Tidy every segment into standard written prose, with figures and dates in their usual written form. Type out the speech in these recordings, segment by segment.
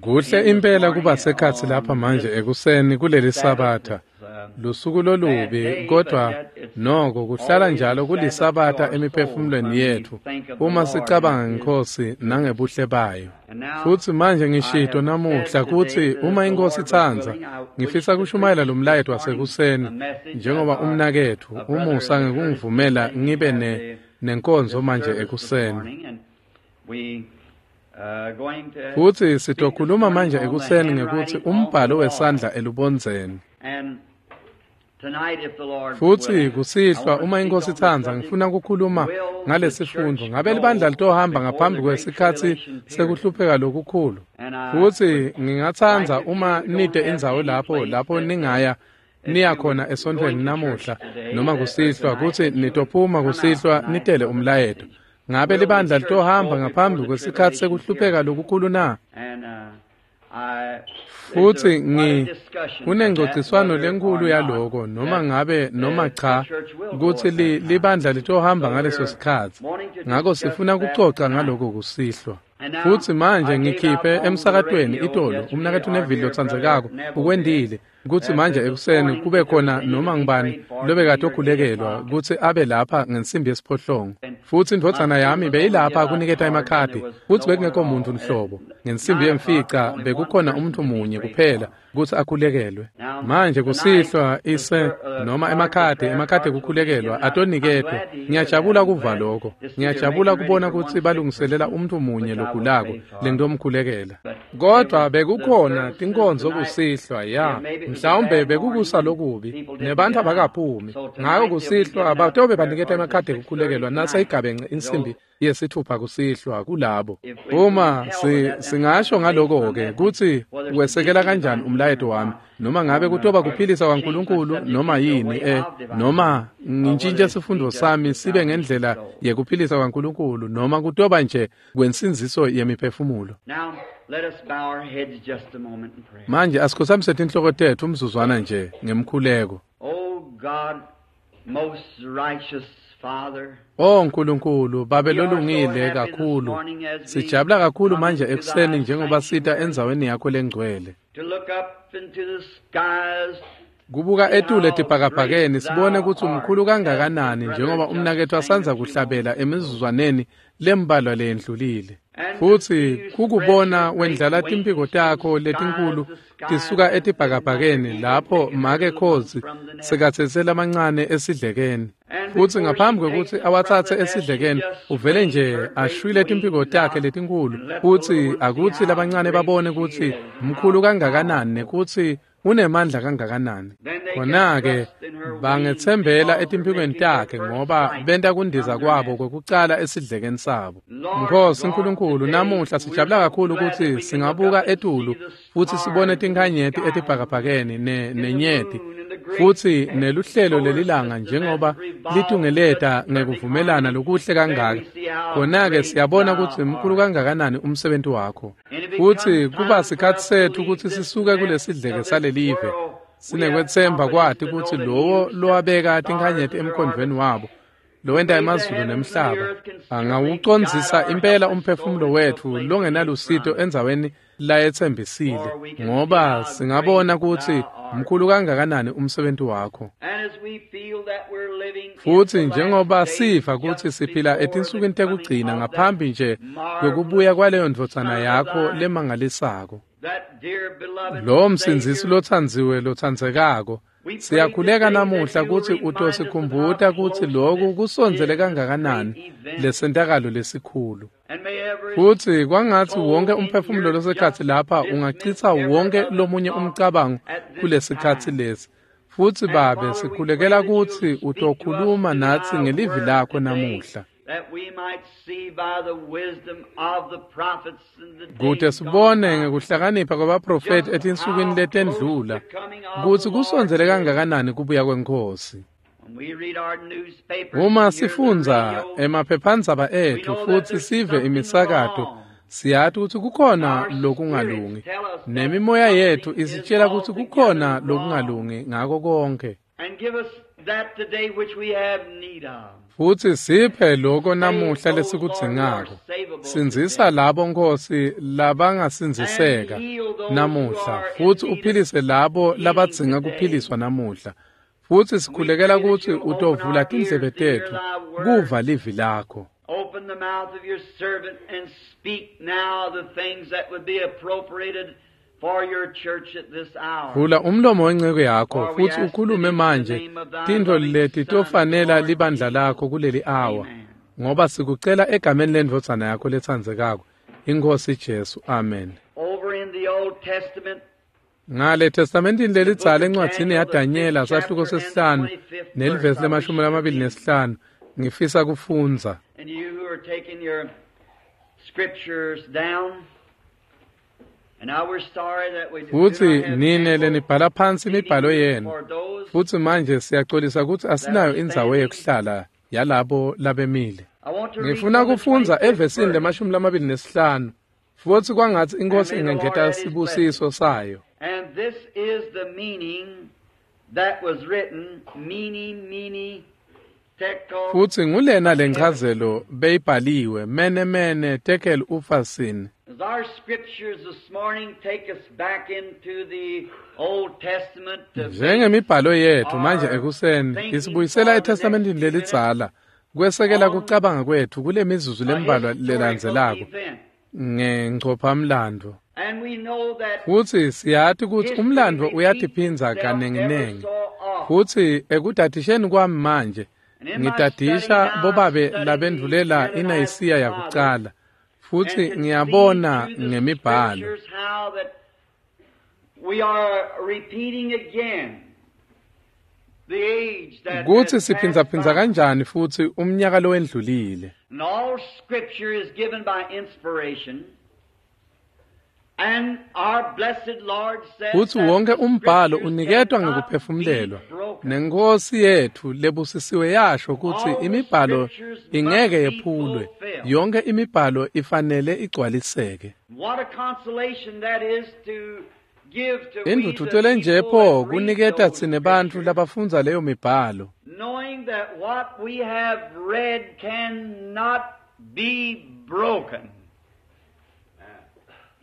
Kuhle impela kuba sekhatsi lapha manje ekuseni kuleli Sabatha. Lusuku lolubi kodwa noko kuhlala njalo kuliSabatha emiphefumulweni yetfu uma sicabanga ngeNkhosi nangebuhle bayo. Futsi manje ngishito namuhla kutsi uma iNkhosi itsandza ngifisa kushumayela lo mlayeto wasekuseni njengoba umnaketfu umusa ngekungivumela ngibe nenkonzo manje ekuseni. Futsi sitokhuluma manje ekuseni ngekutsi umbhalo wesandla elubondzeni. Futsi kusihlwa uma iNkhosi itsandza ngifuna ukukhuluma ngalesifundo. Ngabe libandla litohamba ngaphambi kwesikhatsi sekuhlupheka lokukhulu? Futsi ngingatsandza uma nite indzawo lapho ningaya niya khona esontfweni namuhla noma kusihlwa kutsi nitophuma kusihlwa nitele umlayeto. Ngabe libandla litohamba ngaphambi kwesikhatsi sekuhlupheka lokukhulu na? Futsi kunengcociswano lenkhulu yaloko noma ngabe noma cha kutsi libandla litohamba ngaleso sikhatsi. Ngako sifuna kucoca ngaloko kusihlwa. Futsi manje ngikhiphe emsakatweni itolo umnaketfu Neville lotsandzekako ukwendile kutsi manje ekuseni kube khona noma ngubani lobekade okhulekelwa kutsi abe lapha ngensimbi yesiphohlongo. Futsi indvodzana yami beyilapha kuniketa emakhadi futsi bekungekho muntfu nhlobo. Ngensimbi yemfica bekukhona umuntu munye kuphela kutsi akhulekelwe. Manje kusihlwa ise noma emakhadi ekukhulekelwa atoniketwa. Ngiyajabula kuva lokho. Ngiyajabula kubona kutsi balungiselela umuntu munye logulako lengitomkhulekela. Kodwa bekukhona tinkonzo kusihlwa ya. Mhlawumbe bekukusa lokubi nebantfu abakaphumi. Ngako kusihlwa batobe baniketa emakhadi ekukhulekelwa naseyigabenxe insimbi yesithupha kusihlwa kulabo. Uma singasho ngaloko-ke kutsi wesekela kanjani umlayeto wami noma ngabe kutoba kuphilisa kwaNkulunkulu noma yini noma ngintshintshe sifundo sami sibe ngendlela yekuphilisa kwaNkulunkulu noma kutoba nje kwensindziso yemiphefumulo. Manje asikhothamise tinhloko tetfu umzuzwana nje ngemkhuleko. Oh Nkulunkulu, Babe lolungile kakhulu. Sijabula kakhulu manje ekuseni njengoba sita endzaweni yakho lengcwele. Kubuka etulu etibhakabhakeni sibone kutsi umkhulu kangakanani njengoba umnaketfu asandza kuhlabela emizuzwaneni lembalwa leyendlulile. Futsi kukubona wendlala timphiko takho letinkulu tisuka etibhakabhakeni lapho make khozi sekatsetse lamancane esidlekeni. Futsi ngaphambi kwekutsi awatsatse esidlekeni uvele nje ashwile timphiko takhe letinkulu futsi akutsi labancane babone kutsi mkhulu kangakanani nekutsi unemandla kangakanani. Khona-ke bangetsembela etimphikweni takhe ngoba benta kundiza kwabo kwekucala esidlekeni sabo. Nkhosi Nkulunkulu, namuhla sijabula kakhulu kutsi singabuka etulu futsi sibone tinkhanyeti etibhakabhakeni nenyeti futsi neluhlelo lelilanga njengoba litungeleta ngekuvumelana lokuhle kangaka. Khona-ke siyabona kutsi mkhulu kangakanani umsebenzi wakho. Futsi kuba sikhatsi setfu kutsi sisuke kulesidleke salelive. Sinekwetsemba kwati kutsi lowo lowabeka tinkhanyeti emkhondvweni wabo lowenta emazulu nemhlaba angawucondzisa impela umphefumulo wetfu longenalusito endzaweni layetsembisile, ngoba singabona kutsi mkhulu kangakanani umsebenzi wakho. Futsi njengoba siva kutsi siphila etinsukwini tekugcina ngaphambi nje kwekubuya kwaleyo ndvodzana yakho lemangalisako, lo msindzisi lotsandziwe lotsandzekako, siyakhuleka namuhla kutsi utosikhumbuta kutsi loku kusondzele kangakanani lesentakalo lesikhulu. Futsi kwangatsi wonke umphefumulo losekhatsi lapha ungachitsa wonke lomunye umcabango kulesikhatsi lesi. Futsi Babe, sikhulekela kutsi utokhuluma natsi ngelivi lakho namuhla, kute sibone ngekuhlakanipha kwabaprofethi etinsukwini letendlula kutsi kusondzele kangakanani kubuya kweNkhosi. Uma sifundza emaphephandzaba etfu futsi sive imisakato, siyati kutsi kukhona lokungalungi, nemimoya yetfu isitshela kutsi kukhona lokungalungi ngako konke. Futsi siphe lokho namuhla lesikudzingako. Sindzisa labo, Nkosi, labangasindziseka namuhla, futsi uphilise labo labadzinga kuphiliswa namuhla. Futsi sikhulekela kutsi utovula tindlebe tetfu kuva livi lakho. Open the mouth of your servant and speak now the things that would be appropriated for your church at this hour. Vula umlomo wenceku yakho futsi ukhulume manje tintfo leti tofanela libandla lakho kuleli awa, ngoba sikucela egameni lendvodzana yakho letsandzekako, iNkhosi Jesu. Amen. Over in the Old Testament, Ngale testamentini lelidzala encwadzini yaDanyela sahluko sesihlanu nelivesi le-25 ngifisa kufundza. And you who are taking your scriptures down, and now we're sorry that we do Futsi not have nine ample lenibhala phansi imibhalo yenu, for those. Futsi manje siyacolisa kutsi asinayo indzawo yekuhlala yalabo labemile. I want to read Ngifuna from the kufundza 25th evesini verse. le-25 futsi kwangatsi iNkhosi ingengeta sibusiso sayo. And this is the meaning that was written, mene, mene, tekel. Futsi ngulena lenchazelo beyibhaliwe, mene mene tekel upharsin. As our scriptures this morning take us back into the Old Testament to Njengemibhalo yethu manje ekuseni isibuyisela eTestamentini lelidzala kwesekela kucabanga kwethu kule mizuzu a lembalwa historical lelandzelako event. ngenchophamlando. And we know that Futsi siyati kutsi history umlando repeats uyatiphindza itself ever kanenginengi. so often. Futsi ekudadisheni kwami manje And in my study ngidadisha now, I'm bobabe studying labendvulela the iNayisiya Canaanite yakucala, fathers futsi and can see ngiyabona through the ngemibhalo scriptures how that we are repeating again the age that kutsi has passed siphindzaphindza by. kanjani futsi umnyaka lowendlulile. And all scripture is given by inspiration. And our blessed Lord says Futsi that wonke the umbhalo scriptures uniketwa cannot ngekuphefumulelwa. be broken. Nenkosi yethu lebusisiwe yasho kutsi All the imibhalo scriptures must ingeke be yephulwe. fulfilled. Yonke imibhalo ifanele igcwaliseke. What a consolation that is to give to we the Indvudvuto lenje people pho that read kuniketa those tsine bantfu scriptures, labafundza leyo mibhalo, knowing that what we have read cannot be broken.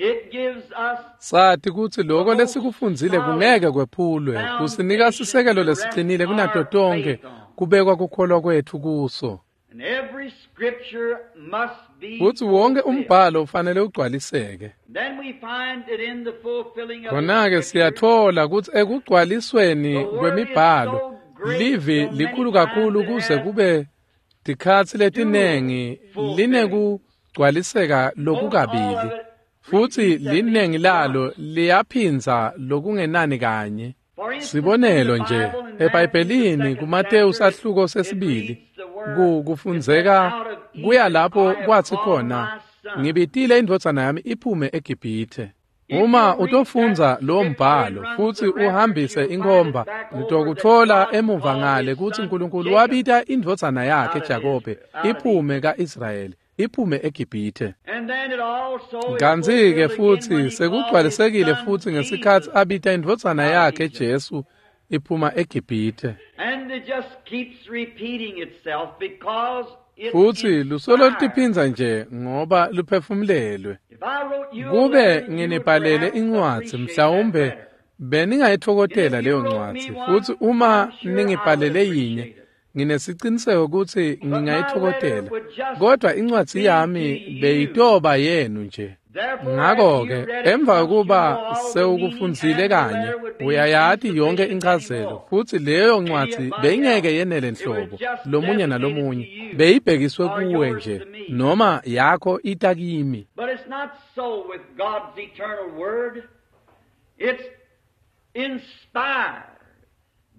It gives us Sati kutsi lokho lesikufundzile kungeke kwephulwe, kusinika sisekelo lesiqinile kunato tonke kubekwa kukholwa kwethu kuso. and every scripture must be Futsi wonke fulfilled. umbhalo ufanele ugcwaliseke. Then we find it in the fulfilling of the Khona-ke scriptures. siyathola kutsi ekugcwalisweni kwemibhalo livi likhulu kakhulu kuze kube tikhatsi letinengi linekugcwaliseka lokukabili, futsi linengi lalo liyaphindza lokungenani kanye. For instance, Sibonelo in the nje, Bible, in Matthew, the eBhayibhelini second kuMateyu chapter, sahluko it sesibili reads the word, kufundzeka it says, "Out of kuya Egypt lapho I have kwathi called khona, my son." ngibitile indvodzana yami iphume eGibhithe. Uma utofundza lowo mbhalo futsi uhambise inkhomba, utokutfola emuva ngale kutsi Nkulunkulu wabita indvodzana yakhe Jakobe iphume ka-Israyeli, iphume eGibhithe. And then it also is Kantsi-ke fulfilled again futsi when he called his sekugcwalisekile son futsi ngesikhatsi Jesus abita indvodzana out of yakhe Egypt. Jesu iphuma eGibhithe. And it just keeps repeating itself because it's Futsi lusolo inspired. lutiphindza nje ngoba luphefumulelwe. If I wrote you a Kube letter, you would nginibhalele perhaps incwadzi appreciate that mhlawumbe better. beningayitfokotela And if leyo you wrote me ncwadzi, one, futsi uma I'm sure I would ningibhalele yinye appreciate it. nginesiciniseko kutsi But my letter ngingayitfokotela, would just kodwa incwadzi be yami to you. beyitoba yenu nje. Therefore, after Ngakho-ke you read it emva once, you kokuba know all the meaning, sewukufundzile and the kanye letter would be uyayati yonke insufficient inchazelo, anymore. futsi leyo ncwadzi Anybody beyingeke else. yenele It was nhlobo just lomunye designated to nalomunye, you beyibhekiswe or kuwe yours nje to me. noma yakho ita kimi. But it's not so with God's eternal word. It's inspired.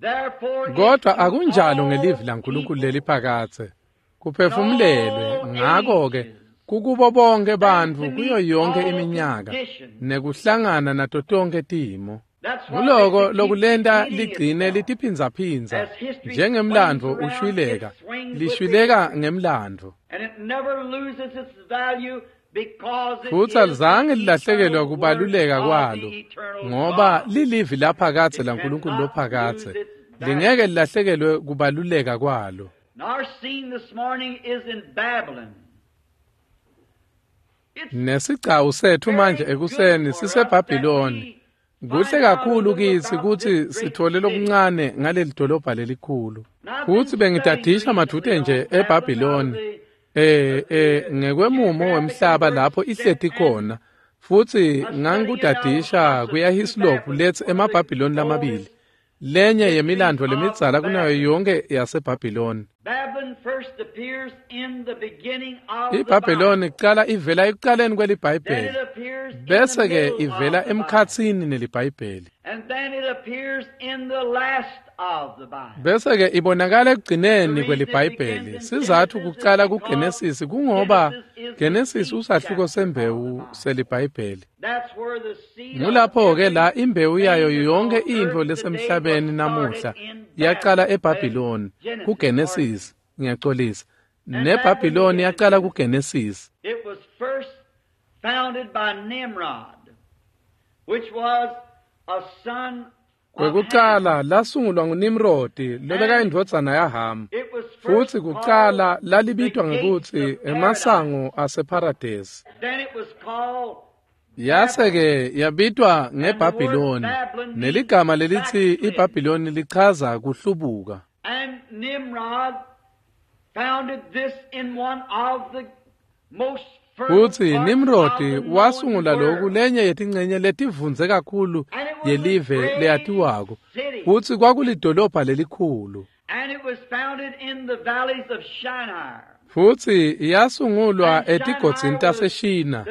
Therefore, it's Kodwa to akunjalo all ngelivi laNkulunkulu people leliphakadze. Kuphefumulelwe ngakho-ke kukubo bonke and bantfu to kuyo meet yonke all iminyaka conditions. nekuhlangana nato tonke timo. That's what Nguloko makes it keep lokulenta repeating ligcine itself. litiphindzaphindza As history swings njengemlandvo around, it ushwileka, swings with the lishwileka history. ngemlandvo. And it never loses its value because it Futsi is the alizange lilahlekelwa eternal word kubaluleka of kwalo the eternal ngoba God. lilivi laphakadze It laNkulunkulu cannot lose lophakadze, its lingeke value. lilahlekelwe kubaluleka kwalo. Nesigcawu sethu manje ekuseni siseBhabhiloni. Kuhle kakhulu kitsi kutsi sithole lokuncane ngaleli dolobha lelikhulu. Futsi bengidadisha madvute nje eBhabhiloni ngekwemumo wemhlaba lapho ihleti khona. Futsi ngangikudadisha kuyaHislop letsi emaBhabhiloni lamabili, lenye yemilandvo lemidzala kunayo yonke yaseBhabhiloni. IBhabhiloni kucala ivela ekucaleni kweliBhayibheli, bese-ke ivela emkhatsini neliBhayibheli, bese-ke ibonakala ekugcineni kweliBhayibheli. Sizatfu kucala kuGenesisi kungoba Genesisi usahluko sembewu seliBhayibheli. Ngulapho-ke la imbewu yayo yonke intfo lesemhlabeni namuhla yacala eBhabhiloni kuGenesisi. Ngiyaxolisa, neBhabhiloni yacala kuGenesisi. It was first founded by Nimrod, which was a son. Kwekucala lasungulwa nguNimrodi lobekayindvodzana yaHamu, futsi kucala lalibitwa ngekutsi emasango aseParadesi. Yase-ke yabitwa ngeBhabhiloni, neligama lelitsi iBhabhiloni lichaza kuhlubuka. And Nimrod founded this in one of the most Futsi Nimrodi wasungula loku lenye yetincenye letivundze kakhulu yelive leyatiwako, futsi kwakulidolobha lelikhulu. And it was founded in the valleys of Shinar. Futsi yasungulwa etigodzini taseShina.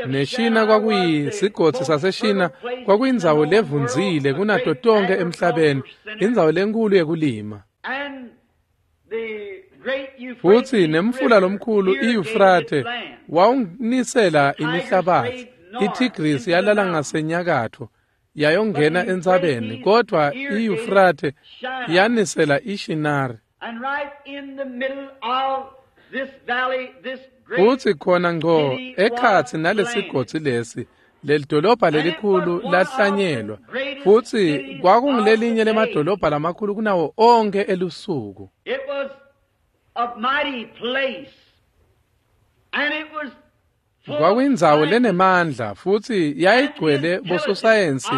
NeShina kwakuyisigodzi saseShina, kwakuyindzawo levundzile kunato tonkhe emhlabeni, indzawo lenkhulu yekulima. And the great Futsi nemfula lomkhulu iYufrathe wawunisela imihlabatsi. ITigrisi yalala ngasenyakatfo yayongena entsabeni, kodvwa iYufrathe yanisela iShinari. And right in the middle of this valley, this great Futsi khona ngco ekhatsi nalesigodzi lesi, lelidolobha lelikhulu lahlanyelwa, futsi kwakungulelinye lemadolobha lamakhulu kunawo onkhe elusuku. It was a mighty place. And it was full of Kwakuyindzawo science lenemandla futsi yayigcwele bososayensi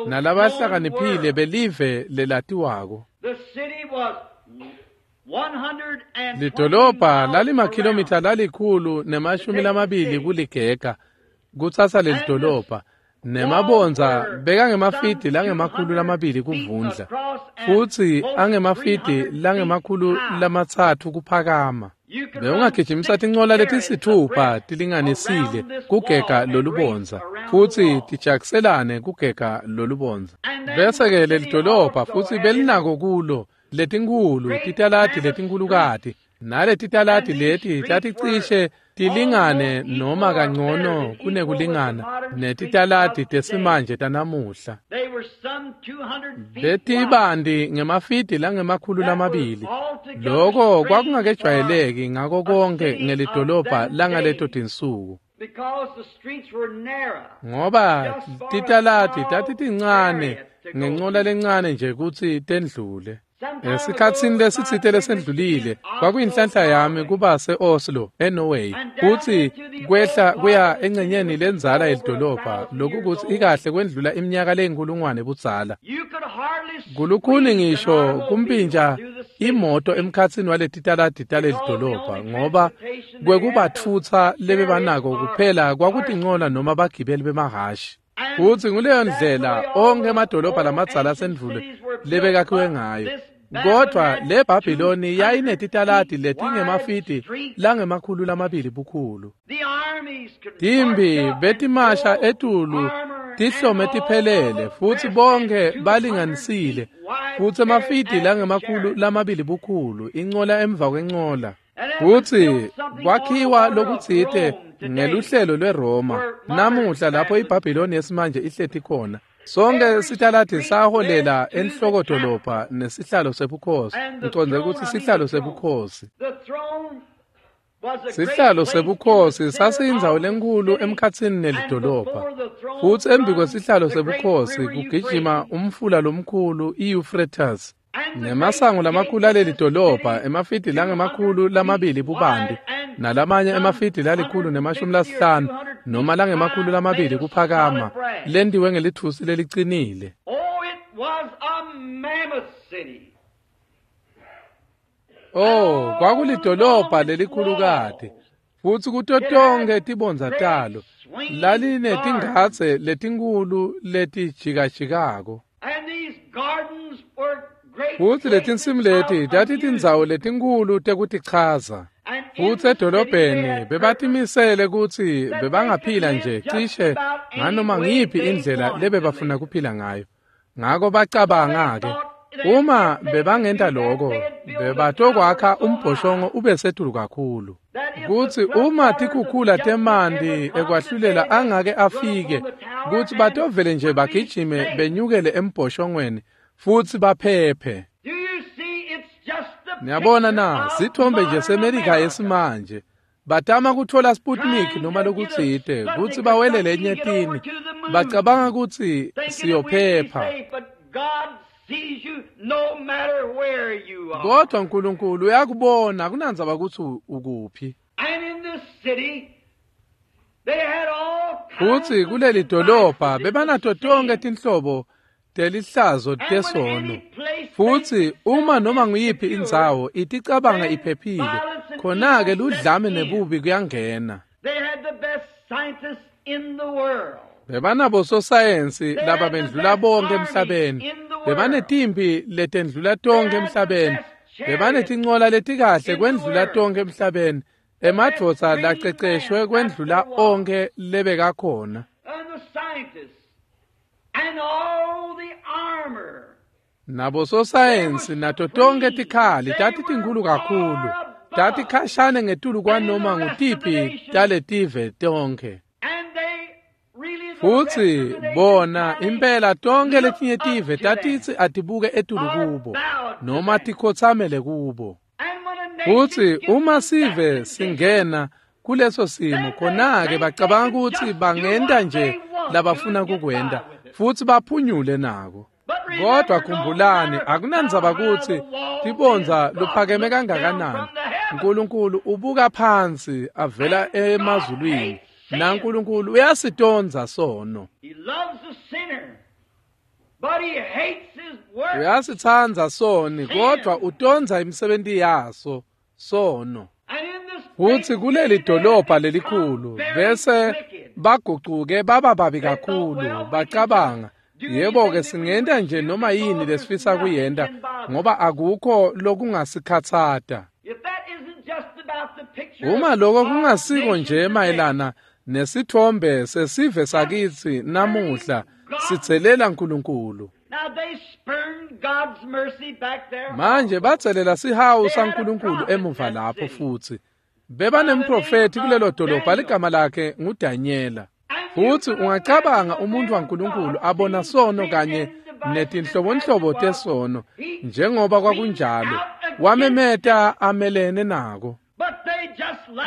nalabahlakaniphile belive lelatiwako. The city was 120 Lidolobha miles lalimakhilomitha around. 120 kuligega kutsatsa lelidolobha, nemabondza bekangemafidi langemakhulu 2 kuvundla, futsi angemafidi langemakhulu 3 kuphakama. You could run Bewungagijimisa six tincola chariots letisitfupha abreast tilinganisile around this kugega wall and lolubondza, race around the futsi wall. tijakiselane kugega lolubondza. And then Bese-ke the city lelidolobha also futsi had belinako kulo letinkhulu great titaladi mammoth letinkhulukati, streets. naletitaladi And these leti streets taticishe were tilingane almost noma equal or better kangcono than equal with the kunekulingana modern streets netitaladi of today. tesimanje tanamuhla. They were some 200 feet wide. Betibanti ngemafidi langemakhulu That was 2. altogether Loko strange for kwakungakejwayeleki ngako a konke city of ngelidolobha them langaleto days tinsuku, because the streets were narrow, ngoba just for a titaladi small tatitincane chariot to go ngencola through. lencane nje kutsi tendlule. Some time ago, Esikhatsini it was my lesitsite privilege to be lesendlulile in Oslo, kwakuyinhlanhla yami Norway, kuba se-Oslo eNorway, and down kutsi into the old kwehla part kuya of the city, encenyeni which is lendzala over yelidolobha, 1,000 lokhu years kutsi old. ikahle kwendlula iminyaka leyinkulungwane budzala. You could hardly Kulukhuni squeeze an ngisho automobile kumpinja through the city imoto streets emkhatsini waletitaladi because the talelidolobha, only ngoba transportation they had was kwekubatfutsa chariots lebebanako or kuphela kwakutincola horses. noma bagibeli bemahhashi. And Futsi nguleyo that's the ndlela way all onkhe the emadolobha old lamadzala ancient asendvulo cities were built. lebekakhiwe But ngayo. this Babylon Kodvwa had le Bhabhiloni 200 yayinetitaladi feet wide letingemafidi streets. langemakhulu 2 bukhulu. The armies could march Timbi up in betimasha full etulu armor and tihlome tiphelele, all futsi dressed in bonke 200 balinganisile, feet wide futsi chariot emafidi after langemakhulu chariot. 2 bukhulu, incola emva kwencola. And that was Futsi built something on the kwakhiwa order of lokutsite Rome today, ngeluhlelo lweRoma. where modern Namuhla lapho Babylon iBhabhiloni yesimanje ihleti khona. Sonke Every sitaladi street led saholela to the enhlokodolobha capital. nesihlalo sebukhosi. And the Ngicondze throne, kutsi I mean sihlalo the throne. sebukhosi. The throne was a great Sihlalo place in the sebukhosi center sasiyindzawo of the lenkhulu city, emkhatsini and nelidolobha. before the throne Futsi embi runs kwesihlalo the great sebukhosi river kugijima Euphrates. umfula lomkhulu iEuphrates. Nemasango lamakhulu aleli dolobha emafidi langama-200 bubanti nalamanye emafidi la-150 noma langama-200 kuphakama lentiwe ngelithusi lelicinile. Oh, kwakulidolobha lelikhulukati futsi kuto tonkhe tibondza talo lalinetingadze letinkulu letijikajikako. Futsi letinsimu leti tatitindzawo letinkulu tekutichaza. Futsi edolobheni bebatimisele kutsi bebangaphila nje cishe nganoma ngiyiphi indlela lebebafuna kuphila ngayo. Ngako bacabanga-ke uma bebangenta loko bebatokwakha umbhoshongo ube setulu kakhulu. Kutsi uma tikhukhula temanti ekwahlulela angake afike kutsi batovele nje bagijime benyukele embhoshongweni futsi baphephe. Niyabona na, sithombe nje seMelika yesimanje. Batama kutfola Sputnik noma lokutsite kutsi bawelele enyetini. Bacabanga kutsi siyophepha. Kodwa uNkulunkulu uyakubona akunandzaba kutsi ukuphi. Futsi kuleli dolobha bebanato tonkhe tinhlobo telihlazo tesono. Futsi uma noma nguyiphi indzawo iticabanga iphephile, khona-ke ludlame nebubi kuyangena. Bebanabo sosayensi lababendlula bonke emhlabeni. Bebanetimpi letendlula tonke emhlabeni. Bebanetincola letikahle kwendlula tonke emhlabeni. Emadvodza laceceshwe kwendlula onke lebekakhona. Nabo sosayensi nato tonke tikhali tatitinkhulu kakhulu. Tatikhashane ngetulu kwanoma ngutiphi taletive tonke. Futsi bona impela tonke letinye tive tatitsi atibuke etulu kubo noma tikhotsamele kubo. Futsi uma sive singena kuleso simo khona-ke bacabanga kutsi bangenta nje labafuna kukwenta futsi baphunyule nako. Kodwa khumbulani akunandzaba kutsi tibondza luphakeme kangakanani. uNkulunkulu ubuka phansi avela emazulwini. NaNkulunkulu uyasitondza sono. Uyasitsandza soni kodwa utondza imisebenti yaso sono. Futsi kuleli dolobha lelikhulu bese bagucuke baba babi kakhulu bacabanga yebo-ke singenta nje noma yini lesifisa kuyenta ngoba akukho lokungasikhatsata. Uma loko kungasiko nje mayelana nesithombe sesive sakitsi namuhla sitselela uNkulunkulu. Manje batselela sihawu saNkulunkulu emuva lapho futsi. Bebanemprofethi kulelo dolobha ligama lakhe nguDanyela. Futsi ungacabanga umuntu waNkulunkulu abona sono kanye netinhlobonhlobo tesono njengoba kwakunjalo wamemeta amelene nako.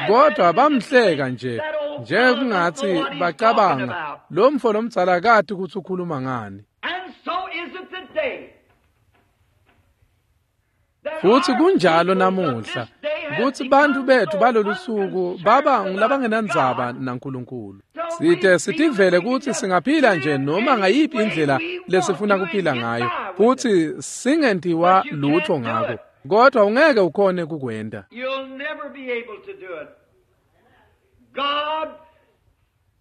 Kodwa bamhleka nje njengekungatsi bacabanga lo mfo lomdzala kati kutsi ukhuluma ngani. Futsi kunjalo namuhla kutsi bantfu bethu balolu suku baba ngulabangenandzaba naNkulunkulu. Site sitivele kutsi singaphila nje noma ngayiphi indlela lesifuna kuphila ngayo futsi singentiwa lutho ngako. Kodwa ungeke ukhone kukwenta.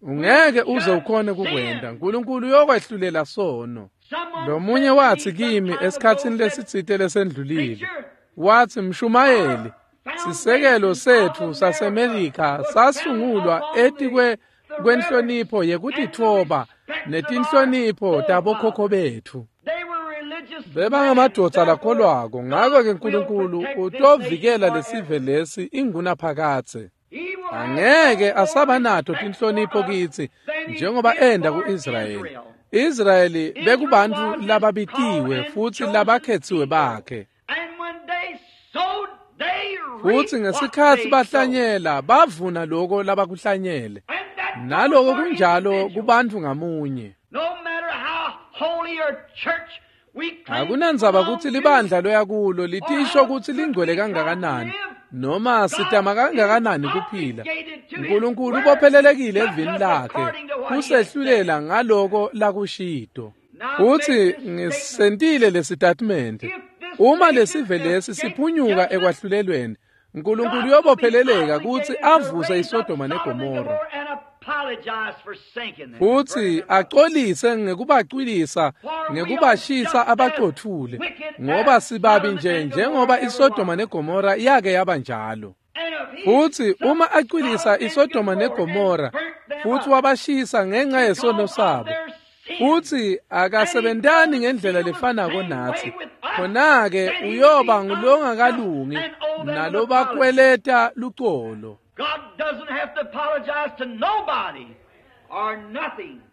Ungeke uze ukhone kukwenta. uNkulunkulu uyokwehlulela sono. Lomunye watsi kimi esikhatsini lesitsite lesendlulile, watsi mshumayeli, sisekelo setfu saseMelika sasungulwa etikwe kwenhlonipho yekutitfoba netinhlonipho tabokhokho betfu. Bebangamadvodza lakholwako, ngako-ke uNkulunkulu utovikela lesive lesi ingunaphakadze. Angeke asabanato tinhlonipho kitsi njengoba enda ku-Israyeli. Israyeli bekubantfu lababitiwe futsi labakhetsiwe bakhe. Futsi ngesikhatsi bahlanyela bavuna loko labakuhlanyele. Naloko kunjalo kubantfu ngamunye. Akunandzaba kutsi libandla loya kulo litisho kutsi lingcwele kangakanani noma sitama kangakanani kuphila, Nkulunkulu ubophelelekile evini lakhe kusehlulela ngaloko lakushito. Futsi ngisentile lesitatimende, uma lesive lesi siphunyuka ekwahlulelweni, Nkulunkulu uyobopheleleka kutsi avuse iSodoma neGomora futsi acolise ngekubacwilisa ngekubashisa abacothule, ngoba sibabi nje njengoba iSodoma neGomora yake yaba njalo. Futsi uma acwilisa iSodoma neGomora futsi wabashisa ngenxa yesono sabo, futsi akasebentani ngendlela lefanako natsi, khona-ke uyoba ngulongakalungi nalobakweleta lucolo.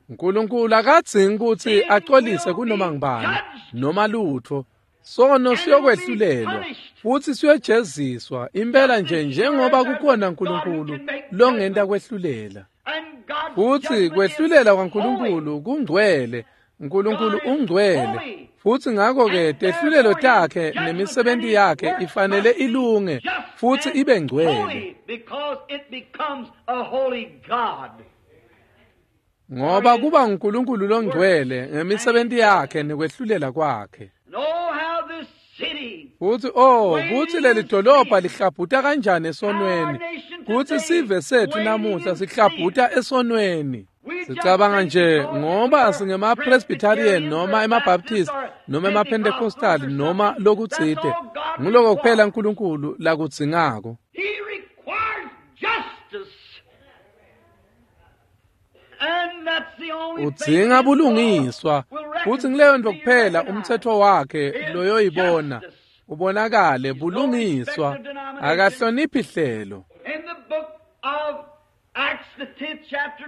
Nkulunkulu akadzingi kutsi acolise kunoma ngubani noma lutfo. Sono siyokwehlulelwa futsi siyojeziswa impela nje njengoba kukhona Nkulunkulu longenta kwehlulela. Futsi kwehlulela kwaNkulunkulu kungcwele. Nkulunkulu ungcwele, futsi ngakho-ke tehlulelo takhe nemisebenti yakhe ifanele ilunge futsi ibe ngcwele, ngoba kuba nguNkulunkulu longcwele ngemisebenti yakhe nekwehlulela kwakhe. Futsi kutsi leli dolobha lihlabhuta kanjani esonweni, kutsi sive setfu namuhla sihlabhuta esonweni. Sicabanga nje ngoba singema-Presbyterian noma ema-Baptist noma ema-Pentecostal noma lokutsite, nguloko kuphela Nkulunkulu lakudzingako. Udzinga bulungiswa, futsi nguleyo nto kuphela umtsetfo wakhe loyoyibona ubonakale bulungiswa. Akahloniphi hlelo.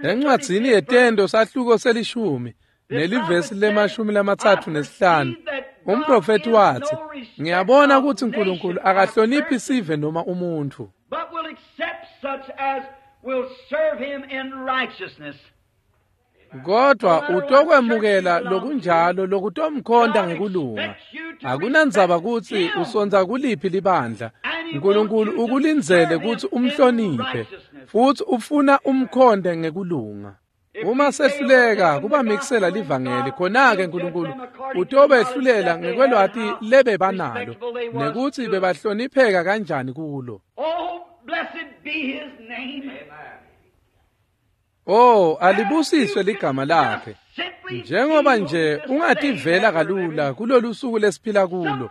Encwadzini yeTento sahluko selishumi nelivesi le-35, umprofethi watsi, ngiyabona kutsi Nkulunkulu akahloniphi sive noma umuntfu, kodwa utokwemukela lokunjalo lokutomkhonta ngekulunga. Akunandzaba kutsi usonza kuliphi libandla, Nkulunkulu ukulindzele kutsi umhloniphe futsi ufuna umkhonte ngekulunga. Uma sehluleka kubamikisela livangeli, khona-ke Nkulunkulu utobehlulela ngekwelwati lebebanalo nekutsi bebahlonipheka kanjani kulo. Oh, alibusiswe ligama lakhe. Njengoba nje ungativela kalula kulolu suku lesiphila kulo,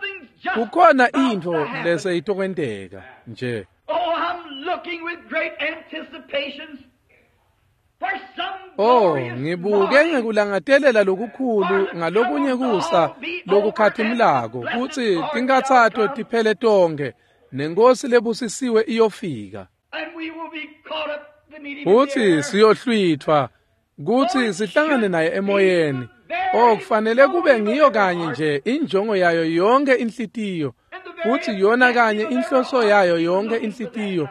kukhona intfo leseyitokwenteka nje. Oh, ngibuke ngekulangatelela lokukhulu ngalokunye kusa lokukhatimulako kutsi tinkhatsato tiphele tonkhe nenkosi lebusisiwe iyofika. Futsi siyohlwithwa kutsi sihlangane naye emoyeni. Oh, kufanele kube ngiyo kanye nje injongo yayo yonke inhlitiyo, futsi yona kanye inhloso yayo yonke inhlitiyo,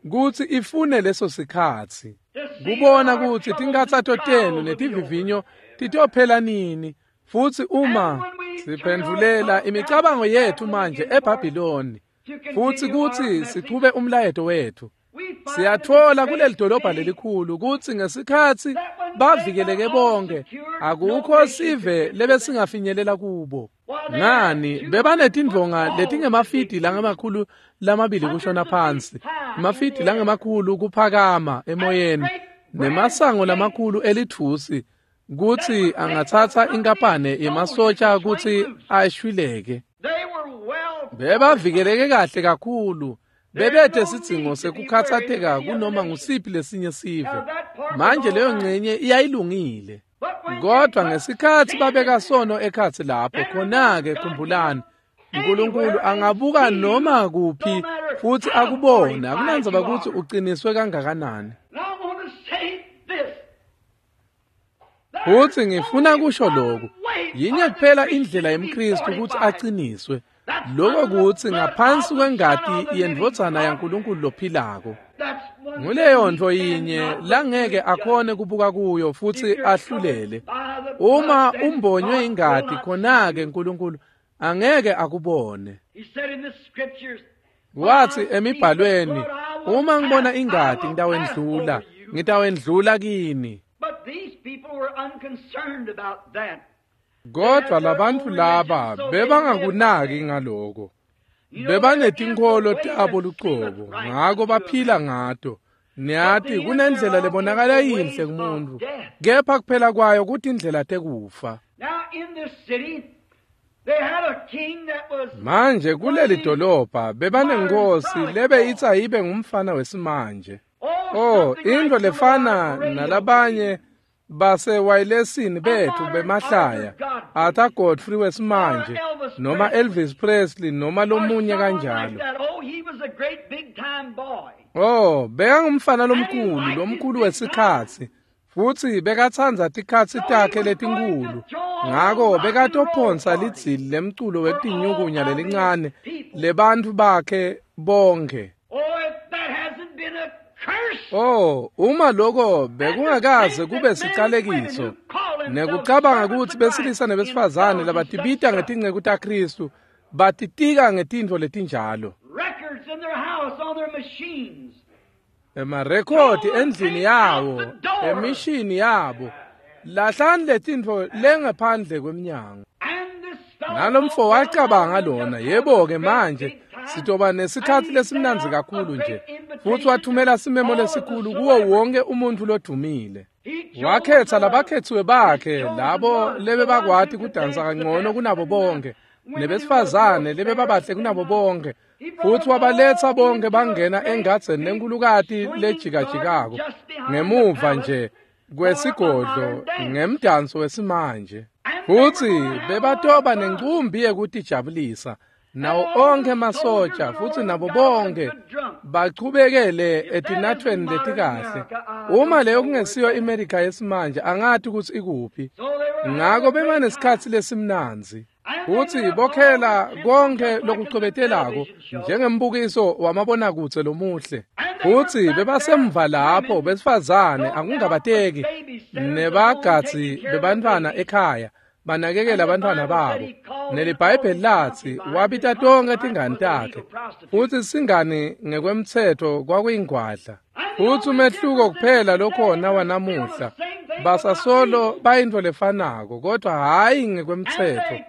kutsi ifune leso sikhatsi kubona kutsi tinkhatsato tenu netivivinyo titophela nini. Futsi uma siphendvulela imicabango yethu manje eBhabhiloni futsi kutsi sichube umlayeto wethu, siyatfola kuleli dolobha lelikhulu kutsi ngesikhatsi bavikeleke bonke, akukho sive lebesingafinyelela kubo. Ngani, bebanetindvonga letingemafidi langama-200 kushona phansi, emafidi langemakhulu kuphakama emoyeni, nemasango lamakhulu elithusi kutsi angatsatsa inkapane yemasotja kutsi ashwileke. Bebavikeleke kahle kakhulu, bebethe sidzingo sekukhatsateka kunoma ngusiphi lesinye sive. Manje leyo ngcenye iyayilungile, kodwa ngesikhatsi babeka sono ekhatsi lapho, khona-ke khumbulani, Nkulunkulu angabuka noma kuphi futsi akubone, akunandzaba kutsi uqiniswe kangakanani. Futsi ngifuna kusho lokhu, yinye kuphela indlela yemKhristu kutsi aqiniswe, lokho kutsi ngaphansi kwengati yendvodzana yaNkulunkulu lophilako. Nguleyo nto yinye langeke akhone kubuka kuyo futsi ahlulele. Uma umbonywe ingati, khona-ke Nkulunkulu angeke akubone. Wathi emibhalweni, uma ngibona ingati ngitawendlula, ngitawendlula kini. Kodwa labantfu laba bebangakunaki ngaloko. Bebanetinkholo tabo lucobo, ngako baphila ngato. Niyati kunendlela lebonakala yinhle kumuntu, kepha kuphela kwayo kutindlela tekufa. Manje kuleli dolobha bebanenkosi lebe itsi ayibe ngumfana wesimanje. Oh, into lefana nalabanye basewayilesini bethu bemahlaya, Arthur Godfrey wesimanje, noma Elvis Presley, noma lomunye kanjalo. Oh, bekangumfana lomkhulu, lomkhulu wesikhatsi. Futsi bekatsandza tikhatsi takhe letinkhulu. Ngako bekatophonsa lidzili lemculo wetinyukunya lelincane lebantfu bakhe bonkhe. Oh, uma lokho bekungakaze kube sicalekiso nekucabanga kutsi besilisa nebesifazane labatibita ngetinceku taKhristu batitika ngetintfo letinjalo. Emarekhodi endlini yawo, emishini yabo, lahlani letintfo lengaphandle kwemnyango. Nalomfo wacabanga lona, yebo-ke manje sitoba nesikhatsi lesimnandzi kakhulu nje. Futsi wathumela simemo lesikhulu kuwo wonke umuntfu lodumile. Wakhetsa labakhetsiwe bakhe, labo lebebakwati kudansa kangcono kunabo bonke, nebesifazane lebebabahle kunabo bonke. Futsi wabaletsa bonke bangena engadzeni lenkulukati lejikajikako ngemuva nje kwesigodlo ngemdanso wesimanje. Futsi bebatoba nencumbi yekutijabulisa nawo onkhe emasotsha, futsi nabo bonke bachubekele etinathweni letikahle. Uma leyo kungesiyo iMerika yesimanje, angati kutsi ikuphi. Ngako bebanesikhatsi lesimnandzi. Futsi bokhela konke lokucwebetelako njengembukiso wamabonakudze lomuhle. Futsi bebasemva lapho besifazane akungabateki nebagadzi bebantfwana ekhaya banakekela abantfwana babo. NeliBhayibheli latsi wabita tonke tingani takhe, futsi singani ngekwemtsetfo kwakuyingwadla. Futsi umehluko kuphela lokhona wanamuhla, basasolo bayintfo lefanako kodwa hhayi ngekwemtsetfo.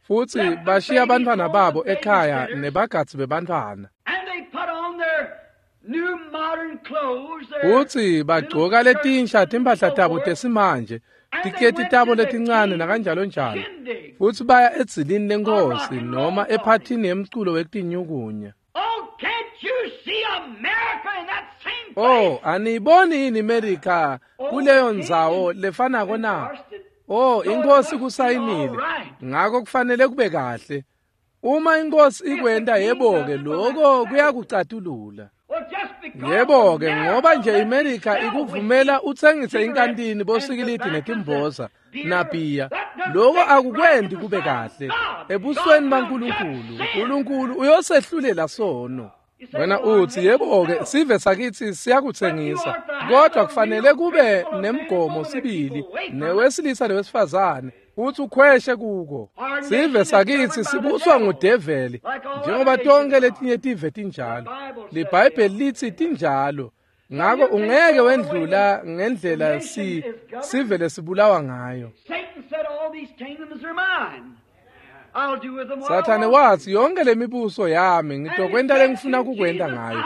Futsi bashiya abantfwana babo ekhaya nebagadzi bebantfwana. Futsi bagcoka letinsha timphahla tabo tesimanje, tiketi tabo letincane nakanjalo njalo. Futsi baya edzilini lenkhosi noma ephathini yemculo wekutinyukunya. Oh, aniyiboni yini iMerika kuleyo ndzawo lefanako na? Oh, inkosi kusayinile, ngako kufanele kube kahle. Uma inkosi ikwenta, yebo-ke, lokho kuyakucatulula. Yebo-ke, ngoba nje iMerika ikuvumela utsengise inkantini bosikilidi netimboza nabhiya, lokho akukwenti kube kahle ebusweni baNkulunkulu. Unkulunkulu uyosehlulela sono. Wena utsi, yebo-ke, sive sakitsi siyakutsengisa, kodwa kufanele kube nemgomo sibili newesilisa newesifazane futsi ukhweshe kuko. Sive sakitsi sibuswa ngudeveli njengoba tonke letinye tive tinjalo. LiBhayibheli litsi tinjalo. Ngako ungeke wendlula ngendlela sive lesibulawa ngayo. Sathane watsi, yonke lemibuso yami ngitokwenta lengifuna kukwenta ngayo.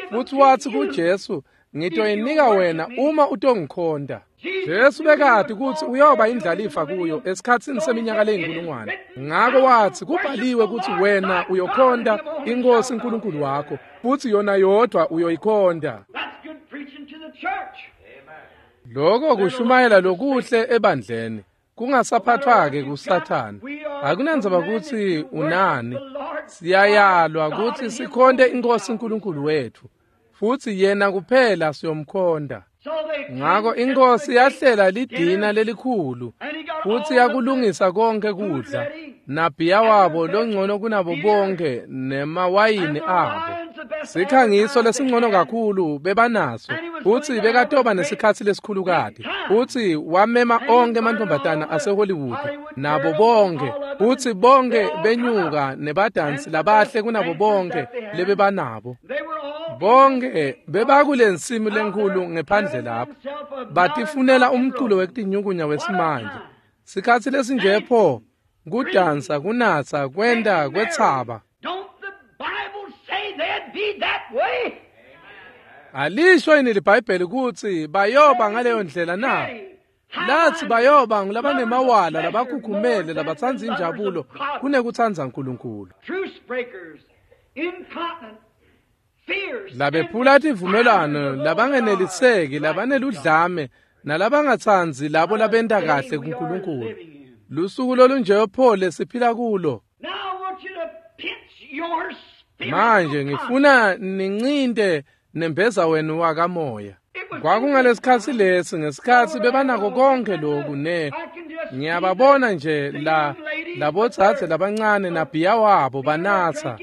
Futsi watsi kuJesu, ngitoyinika wena uma utongikhonta. Jesu bekati kutsi uyoba indlalifa kuyo esikhatsini seminyaka leyinkulungwane. Ngako watsi, kubhaliwe kutsi wena uyokhonta iNkhosi uNkulunkulu wakho, futsi yona yodvwa uyoyikhonta. Lokho kushumayela lokuhle ebandleni. Kungasaphathwa-ke kuSathane. Akunandzaba kutsi unani. Siyayalwa kutsi sikhonte iNkhosi uNkulunkulu wethu, futsi yena kuphela siyomkhonta. Ngako inkosi yahlela lidina lelikhulu, futsi yakulungisa konke kudla, nabhiya wabo longcono kunabo bonke nemawayini abo. Sikhangiso lesingcono kakhulu bebanaso, futsi bekatoba nesikhatsi lesikhulukati. Futsi wamema onkhe emantfombatana aseHollywood nabo bonkhe, futsi bonkhe benyuka nebadansi labahle kunabo bonke lebebanabo. Bonke bebakulensimu lenkhulu ngephandle lapho, batifunela umculo wekutinyukunya wesimanje. Sikhatsi lesinje pho, kudansa, kunatsa, kwenta, kwetsaba. Alisho yini liBhayibheli kutsi bayoba ngaleyo ndlela na? Lathi bayoba ngulabanemawala, labakhukhumele, labatsandza injabulo kunekutsandza Nkulunkulu. Labephula tivumelwano, labangeneliseki, labaneludlame, nalabangatsandzi labo labenta kahle kuNkulunkulu. Lusuku lolunje pho lesiphila kulo. Manje ngifuna nincinte nembeza wenu wakamoya. Kwakungalesikhatsi lesi, ngesikhatsi bebanako konke loku ne ngiyababona nje la labodzadze labancane nabhiya wabo banatsa,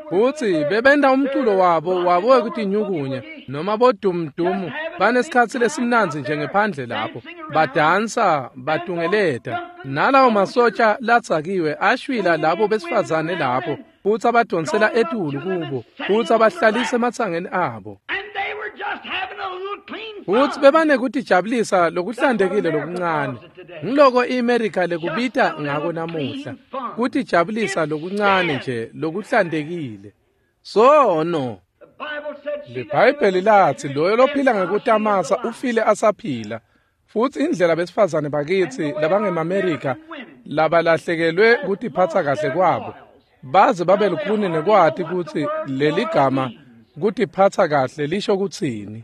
futsi bebenta umculo wabo wekutinyukunya noma bodumdumu, banesikhatsi lesimnandzi nje ngephandle lapho badansa batungeleta, nalawo masotsha latsakiwe ashwila labo besifazane lapho, futsi abadonsela etulu kubo, futsi abahlalisa ematsangeni abo. Futsi bebanekutijabulisa lokuhlantekile lokuncane. Ngiloko iAmerica lekubita ngako namuhla, kutijabulisa lokuncane nje lokuhlantekile. Sono. LiBhayibheli lathi loyo lophila ngekutamasa ufile asaphila. Futsi indlela besifazane bakitsi labangemaAmerica labalahlekelwe kutiphatsa kahle kwabo, baze babe lukhuni nekwati kutsi leligama kutiphatsa kahle lisho kutsini.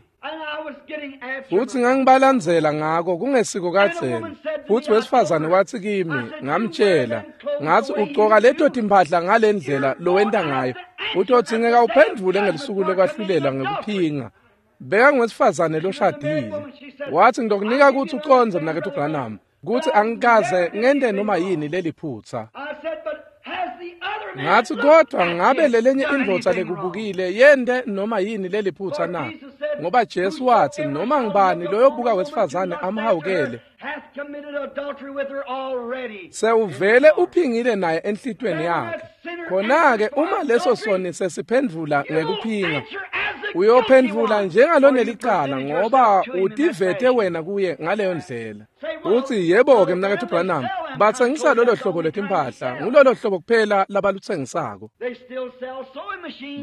Futsi ngangibalandzela ngako kungesiko kadzeni. Futsi wesifazane watsi kimi, ngamtshela, ngatsi ugcoka leto timphahla ngalendlela lowenta ngayo, utodzingeka uphendvule ngelisuku lokwahlulela ngekuphinga. Bekangwesifazane loshadile. Watsi ngitokunika kutsi ucondze mnaketfu Branham, kutsi angikaze ngente noma yini leliphutsa. Ngatsi kodwa ngabe lelenye indvodza lekubukile yente noma yini leliphutsa na? Ngoba Jesu watsi noma ngibani loyobuka wesifazane amhawukele, sewuvele uphingile naye enhlitweni yakhe. Khona-ke uma leso soni sesiphendvula ngekuphinga, uyophendvula njengalonelicala ngoba utivete wena kuye ngaleyo ndlela. Utsi yebo-ke mnaketfu Branham, batsengisa lolo hlobo lwetimphahla, ngulolo hlobo kuphela labalutsengisako.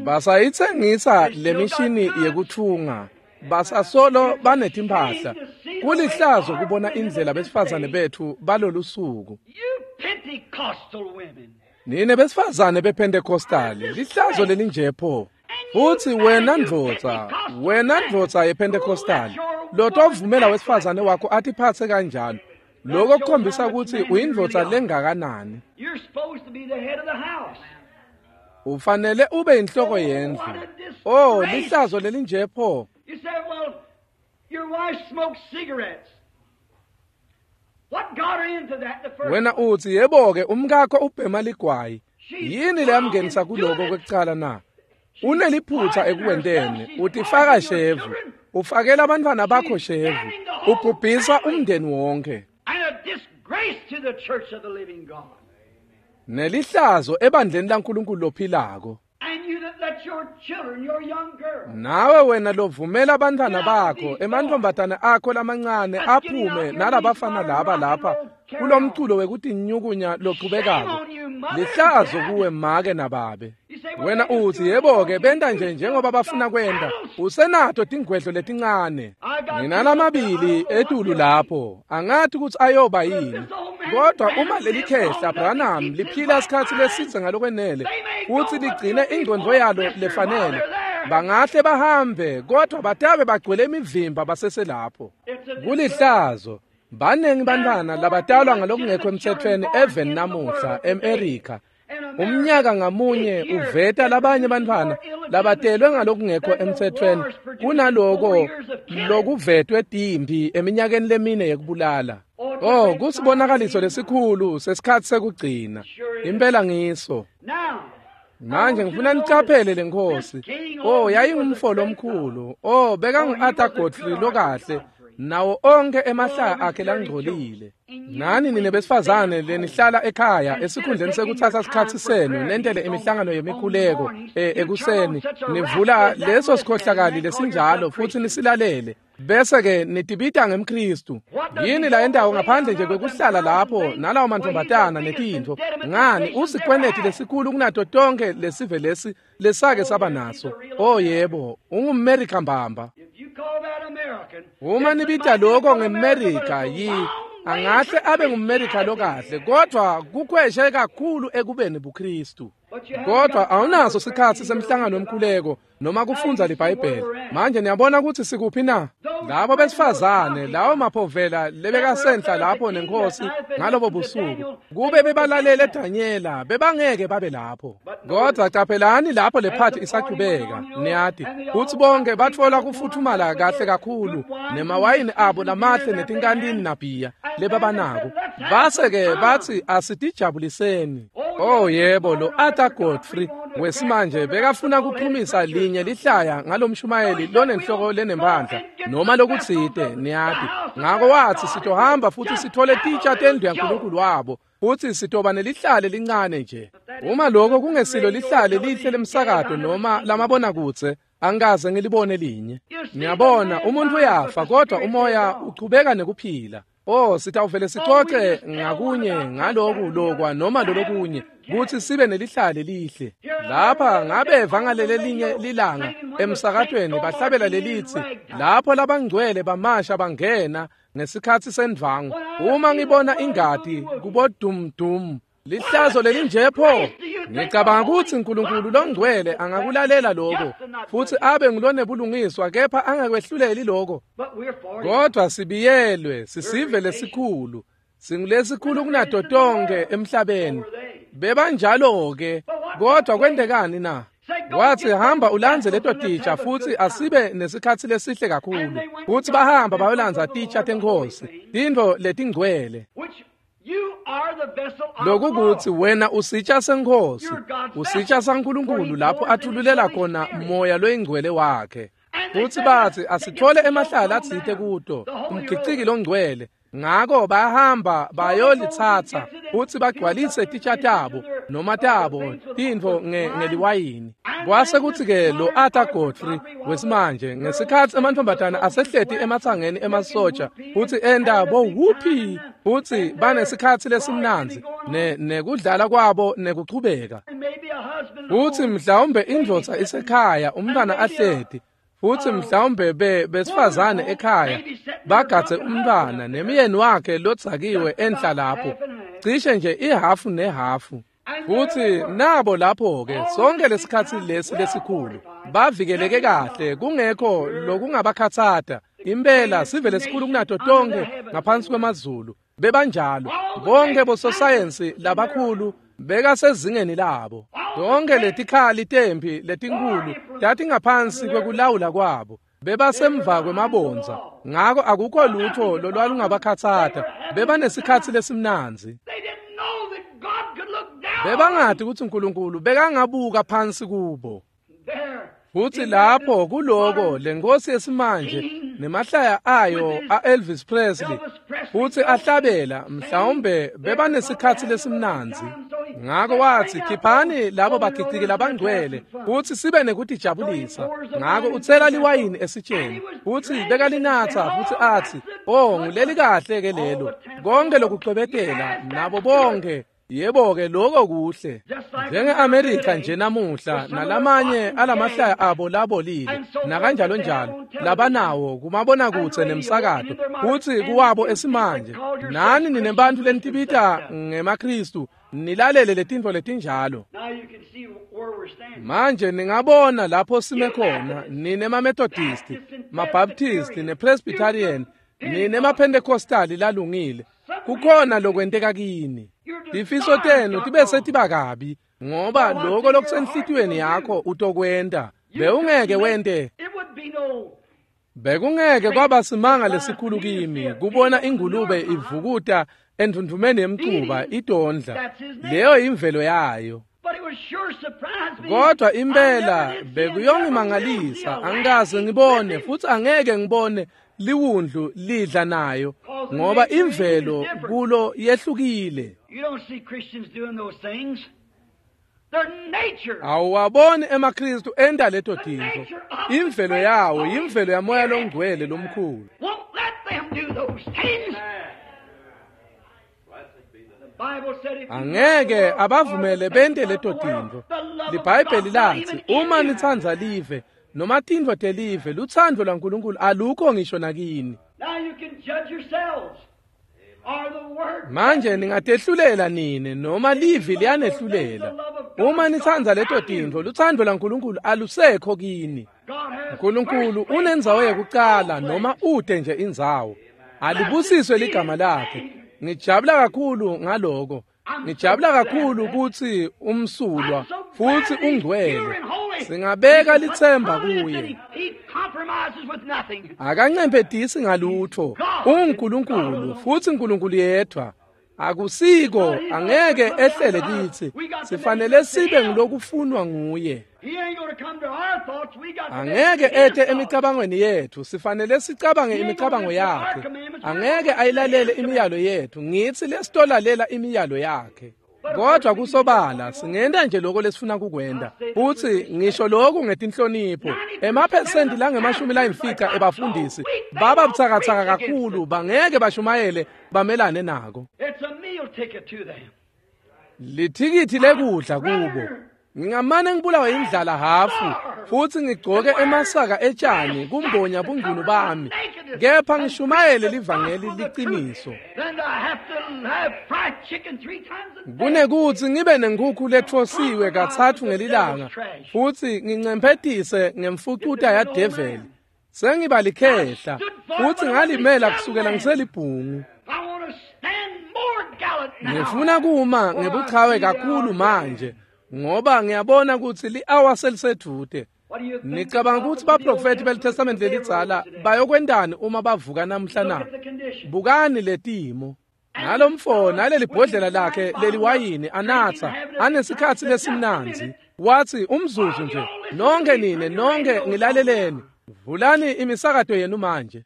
Basayitsengisa lemishini yekutfunga, basasolo banetimphahla. Kulihlazo kubona indlela besifazane bethu balolusuku. Nine besifazane bePentecostali, lihlazo lelinje pho. Futsi wena ndvodza yePentecostali, lotovumela wesifazane wakho atiphatse kanjalo, lokho kukhombisa kutsi uyindvodza lengakanani. Ufanele ube inhloko yendlu. Oh, lihlazo lelinje pho. Wena utsi yebo-ke umkakho ubhema ligwayi. Yini leyamngenisa kuloko kwekucala na? Uneliphutsa ekuwenteni, utifaka shevu, ufakela abantwana bakho shevu, ubhubhisa umndeni wonke. Nelihlazo ebandleni laNkulunkulu lophilako. Nawe wena lovumela abantwana bakho, emantfombatane akho lamancane aphume nalabafana laba lapha kulomculo wekutinyukunya lochubekako. Lihlazo kuwe make nababe. Wena utsi yebo-ke benta nje njengoba bafuna kwenta, usenato tingwedlo letincane. Nginalamabili etulu lapho, angathi kutsi ayoba yini. Kodwa uma lelikhehla Branham liphila isikhatsi lesidze ngalokwenele futsi ligcine ingcondvo yalo lefanele, bangahle bahambe kodwa batabe bagcwele imivimba baseselapho. Kulihlazo. Banengi bantwana labatalwa ngalokungekho emtsetfweni even namuhla eMerica. Umnyaka ngamunye uveta labanye bantwana labatelwe ngalokungekho emtsetfweni kunaloko lokuvetwe timpi eminyakeni lemine yekubulala. Oh, kusibonakaliso lesikhulu sesikhatsi sekugcina. Impela ngiso. Manje ngifuna nicaphele lenkosi. Oh, yayingumfo lomkhulu. Oh, bekangu-Arthur Godfrey lokahle, nawo onke emahlaya akhe langcolile. Nani nine besifazane lenihlala ekhaya esikhundleni sekuthatha isikhatsi senu nentele imihlangano yemikhuleko ekuseni, nivula leso sikhohlakali lesinjalo futhi nisilalele, bese-ke nitibita ngemKhristu. Yini la yendawo ngaphandle nje kwekuhlala lapho nalawo mantombazana netintfo? Ngani, usikweneti lesikhulu kunato tonke lesive lesi lesake saba naso. Oh yebo, ungumMerika mbamba. Uma nibita lokho ngeMerika, yi angahle abe ngumMerika lokahle, kodwa kukhweshe kakhulu ekubeni buKristu. Kodwa awunaso sikhatsi semhlangano wemkhuleko noma kufundza liBhayibheli. Manje niyabona ukuthi sikuphi na? Labo besifazane, lawo maphovela lebekasenhla lapho nenkosi ngalobo busuku, kube bebalalele Danyela, bebangeke babe lapho. Kodwa caphelani lapho lephathi isachubeka, niyati kutsi bonke batfola kufuthumala kahle kakhulu nemawayini abo lamahle netinkantini nabhiya lebabanako. Base-ke bathi asitijabuliseni. Oh yebo, lo Arthur Godfrey wesimanje bekafuna kuphumisa linye lihlaya ngalomshumayeli lonenhloko lenempandla noma lokutsite, niyati. Ngako wathi sitohamba futhi sithole titsha tendlu yaNkulunkulu wabo, futhi sitoba nelihlale lincane nje. Uma lokho kungesilo lihlale lihle lemsakato noma lamabonakudze, angikaze ngilibone linye. Niyabona, umuntu uyafa kodwa umoya uchubeka nekuphila. Oh, sitawuvele sicoce ngakunye ngaloku lokwa noma lolokunye kutsi sibe nelihlale lihle. Lapha ngabeva ngalele linye lilanga emsakatweni bahlabela lelitsi, lapho labangcwele bamasha bangena ngesikhatsi sendvangu. Uma ngibona ingati kubodumdum, lihlazo lelinje pho. Ngicabanga kutsi uNkulunkulu longcwele angakulalela lokho futhi abe ngulonebulungiswa, kepha angakwehluleli lokho. Kodwa sibiyelwe sisive lesikhulu, singulesikhulu kunato tonke emhlabeni. Bebanjalo-ke, kodwa kwentekani na? Wathi hamba ulandze leto titsha futhi asibe nesikhatsi lesihle kakhulu. Futhi bahamba bayolandza titsha tenkhosi, tintfo letingcwele. Lokukutsi wena usitsha senkhosi, usitsha saNkulunkulu lapho athululela khona moya loyingcwele wakhe. Futhi bathi asithole emahlala atsite kuto, umgiciki longcwele. Ngako bayahamba bayolitsatsa futhi bagcwalise titsha tabo noma tabo tintfo ngeliwayini. Kwase kutsi-ke lo Arthur Godfrey wesimanje ngesikhatsi emantombazana asehleti ematsangeni emasotsha futhi enta bo whoopee futhi banesikhatsi lesimnandzi nekudlala kwabo nekuchubeka. Futhi mhlawumbe indvodza isekhaya umntwana ahleti, futhi mhlawumbe besifazane ekhaya bagadze umntwana nemyeni wakhe lodzakiwe enhla lapho, cishe nje ihafu nehafu. Futhi nabo lapho-ke sonke lesikhatsi lesi lesikhulu bavikeleke kahle, kungekho lokungabakhatsata. Impela sive lesikhulu kunato tonke ngaphansi kwemazulu. Bebanjalo bonke bososayensi labakhulu bekasezingeni labo. Tonke letikhali temphi letinkhulu tatingaphansi kwekulawula kwabo. Bebasemva kwemabondza, ngako akukho lutho lolwalungabakhatsata. Bebanesikhatsi lesimnandzi. Bebangati kutsi uNkulunkulu bekangabuka phansi kubo. Futhi lapho kuloko lenkosi yesimanje nemahlaya ayo a-Elvis Presley futhi ahlabela, mhlawumbe bebanesikhatsi lesimnandzi. Ngako wathi khiphani labo bagiciki labangcwele futhi sibe nekutijabulisa. Ngako utsela liwayini esitsheni futhi bekalinatsa futhi athi, oh nguleli kahle ke lelo, konke lokucwebetela nabo bonke. Yebo-ke lokho kuhle. Njenge-Amerika nje namuhla nalamanye alamahlaya abo labolile nakanjalo njalo labanawo kumabonakudze nemsakato futsi kuwabo esimanje. Nani ninebantfu lenitibita ngemaKhristu nilalele letintfo letinjalo. Manje ningabona lapho sime khona, nine maMethodisti, maBaptisti nePresbyterian, nine maPentecostali lalungile. Kukhona lokwenteka kini. Tifiso tenu tibe setiba kabi, ngoba lokho lokusenhlitiyweni yakho utokwenta. Bewungeke wente. Bekungeke kwaba simanga lesikhulu kimi kubona ingulube ivukuta endvundvumeni yemcuba idondla. Leyo imvelo yayo. Kodwa impela bekuyongimangalisa, angikaze ngibone futhi angeke ngibone liwundlu lidla nayo, ngoba imvelo kulo yehlukile. Awuwaboni emaKristu enta leto tintfo. Imvelo yawo yimvelo yaMoya loNgcwele lomkhulu. Angeke abavumele bente leto tintfo. LiBhayibheli lathi uma nitsandza live noma tintfo telive, lutsandvo lwaNkulunkulu alukho ngisho nakini. Manje ningatehlulela nine noma livi liyanehlulela. Uma nitsandza leto tintfo, lutsandvo lwaNkulunkulu alusekho kini. Nkulunkulu unendzawo yekucala noma ute nje indzawo. Alibusiswe ligama lakhe. Ngijabula kakhulu ngaloko. Ngijabula kakhulu kutsi umsulwa futhi ungcwele. Singabeka litsemba kuye. Akancemphetisi ngalutho. UnguNkulunkulu futhi uNkulunkulu yedwa. Akusiko angeke ehlele kitsi. Sifanele sibe ngilokufunwa nguye. Angeke ete emicabangweni yethu, sifanele sicabange imicabango yakhe. Angeke ayilalele imiyalo yethu, ngitsi lesitolalela imiyalo yakhe. Kodwa kusobala singenta nje lokho lesifuna kukwenta. Futhi ngisho lokhu ngetinhlonipho. Emaphesenti langama-50 ebafundisi baba butsakatsaka kakhulu, bangeke bashumayele bamelane nako. Lithikithi lekudla kubo. Ngingamane ngibulawe indlala hafu futhi ngigcoke emasaka etshani kumbonya bungcunu bami, kepha ngishumayele livangeli liqiniso. Kunekuthi ngibe nenkukhu letfosiwe 3 ngelilanga futhi ngincemphetise ngemfucuta yadeveli, sengiba likhehla futhi ngalimela kusukela ngiselibhungu. Ngifuna kuma ngebuchawe kakhulu manje, ngoba ngiyabona ukuthi li-hour selisedvute. Nicabanga ukuthi baprofethi beliTestament lelidzala bayokwentani uma bavuka namhla na? Bukani letimo. Nalomfo naleli bhodlela lakhe leliwayini anatha anesikhatsi lesimnandzi. Wathi umzuzu nje, nonke nine, nonke ngilaleleni. Vulani imisakato yenu manje.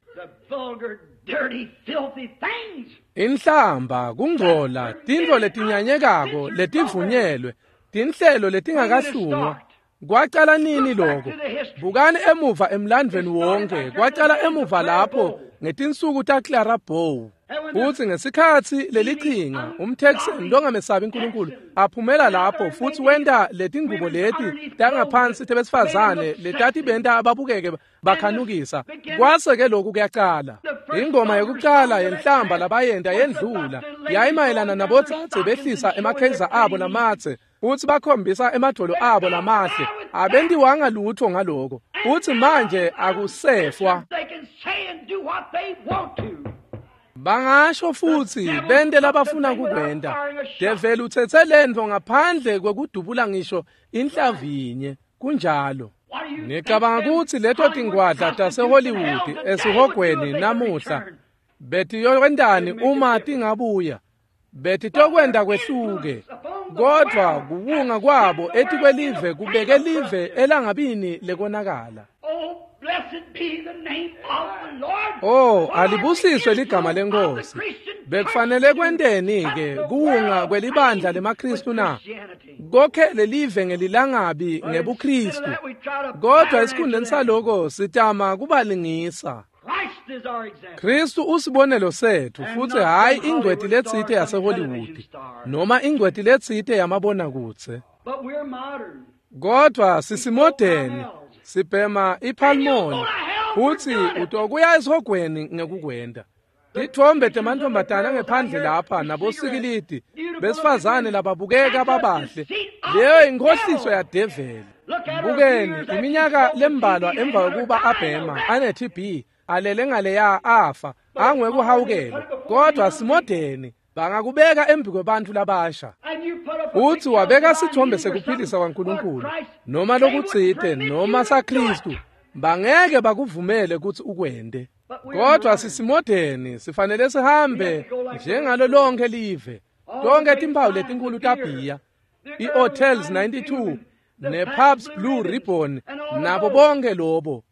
Inhlamba, kungcola, tintfo letinyanyekako letivunyelwe, tinhlelo letingakahlungwa. Kwacala nini lokho? Bukani emuva emlandvweni wonke. Kwacala emuva lapho ngetinsuku taClara Bow. Futhi ngesikhatsi lelichinga umTexan longamesabi uNkulunkulu aphumela lapho futhi wenta letingubo leti tangaphansi tebesifazane letatibenta ababukeke bakhanukisa. Kwase ke lokhu kuyacala. Ingoma yokucala yenhlamba labayenta yendlula yayimayelana nabotsatse behlisa emakheza abo lamatse futhi bakhombisa emadvolo abo lamahle. Abentiwanga lutho ngaloko. Futhi manje akusefwa. Bangasho futhi bente labafuna kukwenta. Develi utsetse lentfo ngaphandle kwekudubula ngisho inhlavinye. Kunjalo. Ngicabanga ukuthi leto tingwadla taseHollywood esihogweni namuhla betiyokwentani uma tingabuya? Betitokwenta kwehluke. Kodwa kuwunga kwabo etikwelive kubeke live elangabini lekonakala. Oh, alibusiswe ligama leNkosi. Bekufanele kwenteni ke kuwunga kwelibandla lemaKristu na? Kokhe lelive ngelilangabi ngebuKristu. Kodwa esikhundleni saloko sitama kubalingisa. Kristu usibonelo sethu futhi hayi ingcweti letsite yaseHollywood noma ingcweti letsite yamabonakudze. Kodwa sisimodeni, sibhema ipalmoli futhi utokuya esihogweni ngekukwenta. Tithombe temantombazana ngephandle lapha nabosikilidi besifazane lababukeka babahle, leyo inkhohliso yadeveli. Bukeni iminyaka lembalwa emva kokuba abhema ane-TB alele ngaleya afa angwekuhawukela. Kodwa simodeni, bangakubeka embi kwebantfu labasha. Uthi wabeka sithombe sekuphilisa kwaNkulunkulu noma lokutsite noma saKristu, bangeke bakuvumele kutsi ukwente. Kodwa sisimodeni, sifanele sihambe njengalo lonke live. Tonke timphawu letinkulu tabhiya. i-Hotels 92 ne-Pabst Blue Ribbon nabo bonke lobo.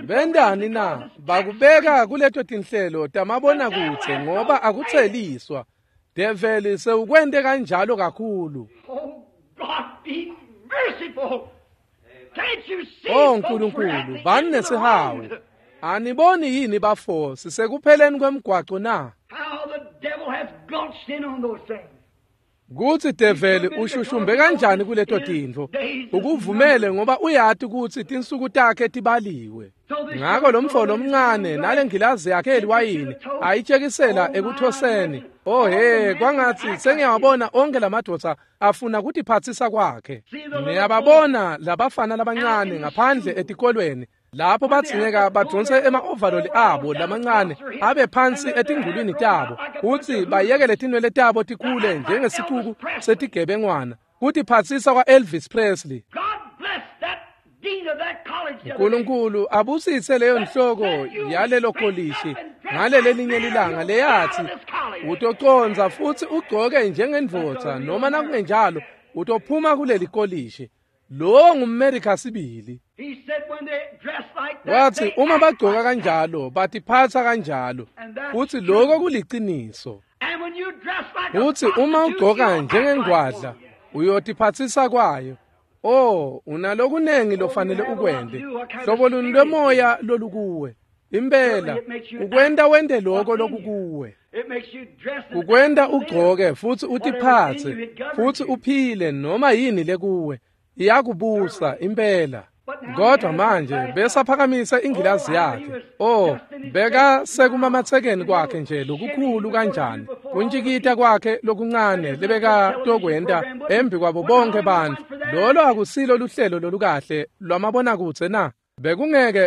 Bendani na? Bakubeka kuleto tinhlelo tamabonakudze ngoba akutseliswa. Develi sewukwente kanjalo kakhulu. Oh Nkulunkulu, bani nesihawu. Aniboni yini bafo sisekupheleni kwemgwaco na? Kutsi develi ushushumbe kanjani kuleto tintfo. Ukuvumele ngoba uyati kutsi tinsuku takhe tibaliwe. Ngako lo mfo lomncane nale ngilazi yakhe eliwayini ayitshekisela ekuthoseni. Oh he, kwangatsi sengiyawabona onke lamadvodza afuna kutiphatsisa kwakhe. Niyababona labafana labancane ngaphandle etikolweni lapho badzingeka badonse ema-ovaloli abo lamancane abe phansi etingulwini tabo kutsi bayekele tinwele tabo tikhule njengesicuku setigebengwana, kutiphatsisa kwa-Elvis Presley. Nkulunkulu abusise leyo nhloko yalelo kolishi ngalelelinye lilanga leyathi utoconza futsi ugcoke njengendvodza noma nakungenjalo utophuma kuleli kolishi. Lo ngumMerika sibili. Wathi uma bagcoka kanjalo batiphatsa kanjalo, futsi lokho kuliciniso. Futsi uma ugcoka njengengwadla uyotiphatsisa kwayo. Oh, unalokunengi lofanele ukwente. Hlobo luni lwemoya lolukuwe. Impela ukwenta wente lokho lokukuwe. Ukwenta ugcoke futsi utiphatse futsi uphile noma yini lekuwe. Iyakubusa impela. Kodwa manje besaphakamisa ingilazi yakhe. Oh, beka sekumamatsekeni kwakhe nje lokukhulu kanjani. Kuntjikita kwakhe lokuncane lebeka tokwenta embi kwabo bonke bantfu. Lolo akusilo luhlelo lolukahle lwamabonakudze na?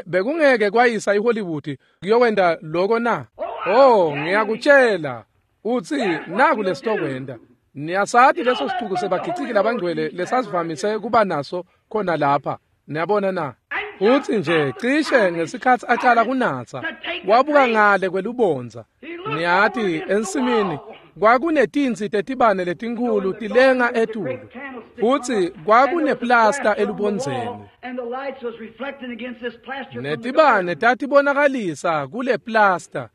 Bekungeke kwayisa iHollywood kuyokwenta loko na? Oh, ngiyakutshela. Utsi naku lesitokwenta. Niyasati leso sicuku sebagiciki labangcwele lesasivamise kuba naso khona lapha. Niyabona na? Utsi nje cishe ngesikhatsi acala kunatsa wabuka ngale kwelubondza. Niyati ensimini kwakunetintsi tetibane letinkhulu tilenga etulu, futsi kwakuneplasta elubondzeni. Netibane tatibonakalisa kule plasta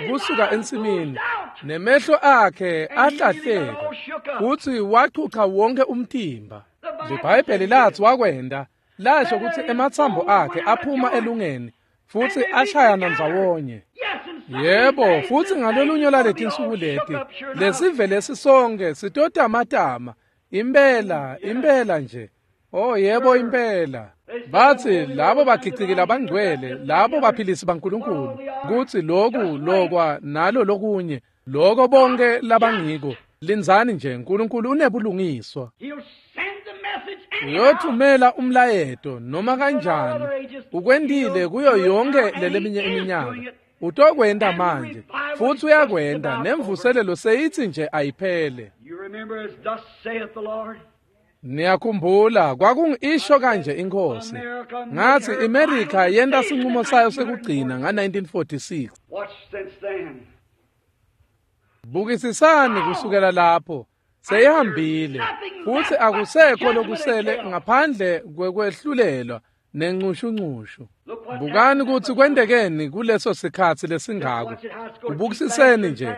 kusuka ensimini, nemehlo akhe ahlahleka futsi wachucha wonke umtimba. LiBhayibheli lathi wakwenta, lasho kutsi ematsambo akhe aphuma elungeni futsi ashayana ndzawonye. Yebo, futsi ngalolunye laletinsuku leti lesive lesisonke sitotamatama. Impela, impela nje. Oh yebo, impela. Batsi labo bagiciki labangcwele, labo baphilisi baNkulunkulu, kutsi loku lokwa nalo lokunye, loko bonke labangiko. Lindzani nje, Nkulunkulu unebulungiswa. Uyothumela umlayeto noma kanjani. Ukwentile kuyo yonke leleminye iminyaka. Utokwenta manje futsi uyakwenta, nemvuselelo seyitsi nje ayiphele. Niyakhumbula kwakungisho kanje inkosi. Ngathi iMerika yenta sinqumo sayo sekugcina nga-1946. Bukisisani kusukela lapho seyihambile futsi akusekho lokusele ngaphandle kwekwehlulelwa nencushunqushu. Bukani kutsi kwentekeni kuleso sikhatsi lesingako. Kubukisiseni nje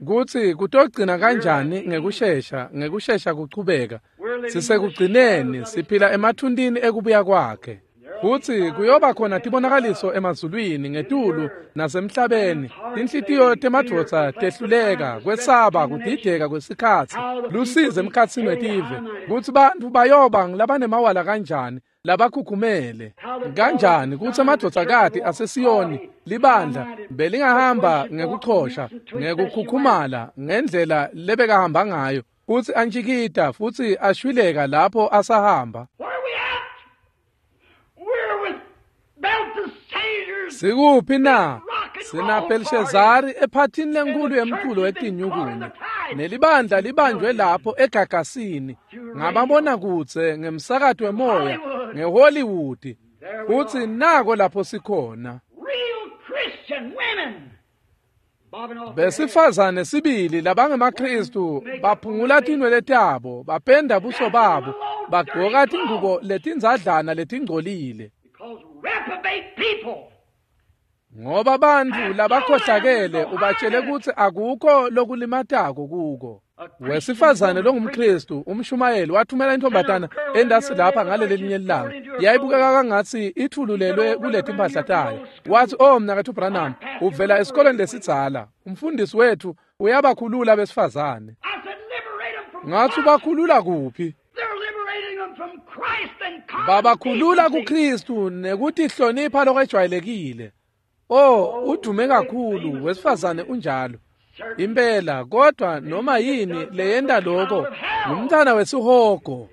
kutsi kutogcina kanjani ngekushesha, ngekushesha kuchubeka. Sisekugcineni, siphila emathuntini ekubuya kwakhe. Futsi kuyoba khona tibonakaliso emazulwini ngetulu nasemhlabeni. Tinhlitiyo temadvodza tehluleka, kwesaba, kudideka kwesikhatsi, lusizi emkhatsini wetive, kutsi bantfu bayoba ngulabanemawala kanjani, labakhukhumele kanjani, kutsi amadvodzakati aseSiyoni libandla belingahamba ngekuchosha, ngekukhukhumala ngendlela lebekahamba ngayo, kutsi antjikita futsi ashwileka lapho asahamba. Sikuphi na? Sina Belshazari ephathini lenkulu yemculo wetinyukuni, nelibandla libanjwe lapho egagasini ngababona kutse ngemsakato wemoya ngeHollywood. Futsi nako lapho sikhona. Besifazane sibili labangemaKristu baphungula tinwele tabo, bapenda buso babo, bagqoka tingubo letindzadlana letingcolile. Ngoba bantfu labakhohlakele ubatshele kutsi akukho lokulimatako kuko. Wesifazane longumKristu umshumayeli wathumela intombatana endasi lapha ngaleli linye lilanga. Yayibukeka kangatsi ithululelwe kuletimpahla tayo. Wathi, "Oh mnaketfu Branham, uvela esikoleni lesidzala. Umfundisi wethu uyabakhulula besifazane." Ngathi ubakhulula kuphi? Babakhulula kuKristu nekutihlonipha lokwejwayelekile. Oh, udume kakhulu wesifazane unjalo. Impela, kodwa noma yini leyenta lokho ngumntana wesihogo.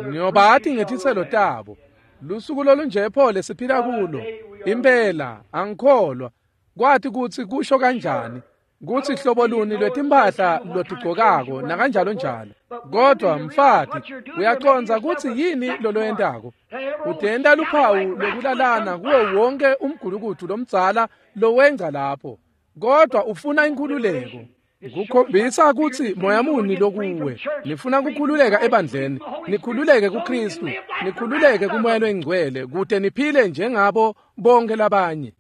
Ngiyobati ngetitselo tabo. Lusuku lolunje pho lesiphila kulo. Impela, angikholwa. Kwathi kutsi kusho kanjani kutsi hlobo luni lwetimpahla lotigcokako nakanjalo njalo. Kodwa mfati, uyacondza kutsi yini loloyentako? Utenta luphawu lokulalana kuwo wonke umgulukudu lomdzala lowengca lapho. Kodwa ufuna inkhululeko. Kukhombisa kutsi moya muni lokuwe. Nifuna kukhululeka ebandleni, nikhululeke kuKristu, nikhululeke kuMoya loyiNgcwele kute niphile njengabo bonke labanye.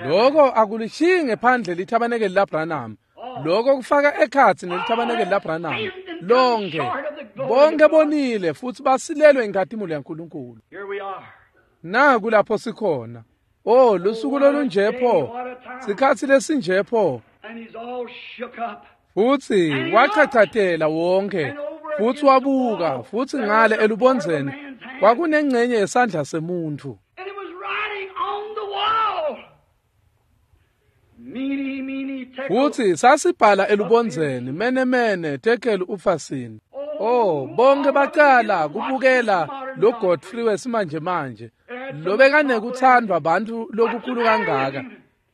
Lokho akulishiyi ngephandle lithabanekeli laBranham. Lokho kufaka ekhatsi nelithabanekeli laBranham lonke. Bonke bonile futsi basilelwe inkhatimulo yaNkulunkulu. Naku lapho sikhona. Oh, lusuku lolunje pho, sikhatsi lesinje pho. Futsi wachachatela wonke, futsi wabuka, futsi ngale elubondzeni kwakunengcenye yesandla semuntfu. Futsi sasibhala elubondzeni, mene mene tekel ufasini. Oh, bonke bacala kubukela lo Godfrey wesimanje manje lobekanekuthandwa bantfu lokukhulu kangaka.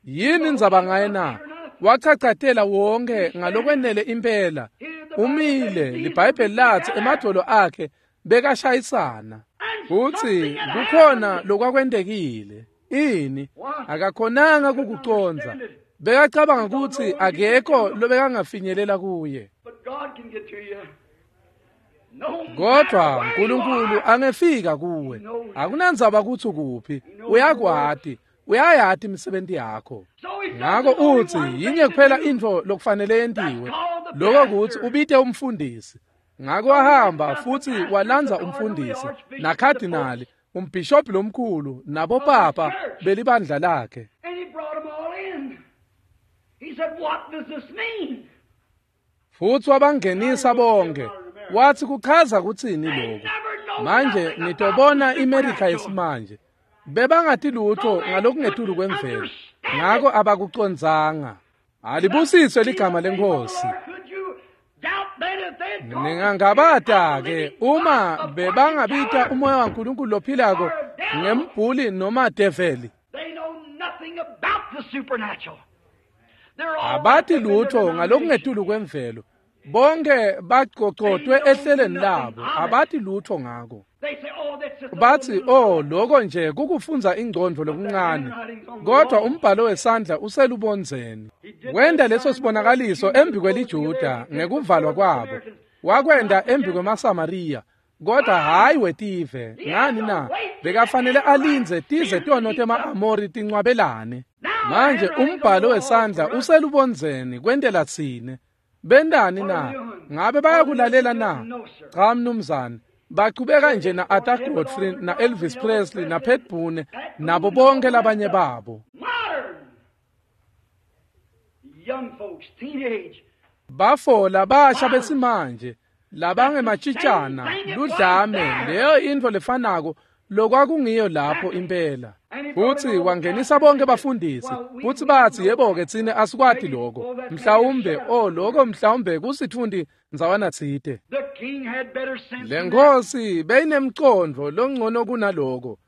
Yini indzaba ngaye na? Wachachatela wonke ngalokwenele impela. Umile, liBhayibheli lathi emadvolo akhe bekashayisana. Futsi kukhona lokwakwentekile. Ini akakhonanga kukucondza. Bekacabanga kutsi akekho lobekangafinyelela kuye. Kodwa uNkulunkulu angefika kuwe. Akunandzaba kutsi kuphi, uyakwati, uyayati imisebenti yakho. Ngako utsi yinye kuphela intfo lokufanele yentiwe, lokho kutsi ubite umfundisi. Ngako wahamba futsi walandza umfundisi nakhadinali, umbhishobhi lomkhulu nabopapa belibandla lakhe. Futsi wabangenisa bonke. Wathi kuchaza kutsini lokho? Manje nitobona iMerika yesimanje. Bebangati lutho ngalokungetulu kwemvelo. Ngako abakucondzanga. Alibusiswe ligama leNkhosi. Ningangabata-ke uma bebangabita umoya waNkulunkulu lophilako ngembhuli noma develi. Abati lutho ngalokungetulu kwemvelo. Bonke bagcogcotwe ehleleni labo, abati lutho ngako. Bathi, "Oh, lokho nje kukufundza ingcondvo lokuncane." Kodwa umbhalo wesandla uselubondzeni. Wenda leso sibonakaliso embi kweliJuda ngekuvalwa kwabo. Wakwenda embi kwemaSamariya, kodwa hhayi wetive. Ngani na? Bekafanele alindze tize tono tema-Amori tincwabelane. Manje umbhalo wesandla uselubondzeni kwentela tsine. Bendani na? Ngabe bayakulalela na? Cha mnumzane. Bachubeka nje na Arthur Godfrey na Elvis Presley na Pat Boone nabo bonke labanye babo. Bafola basha besimanje labangematshitshana ludlame, leyo intfo lefanako lokwakungiyo lapho impela. Futsi wangenisa bonke bafundisi, futsi batsi, "Yebo-ke tsine asikwati lokho. Mhlawumbe, oh lokho mhlawumbe kusitfundi ndzawana tsite." Le nkhosi beyinemcondvo longcono kunaloko.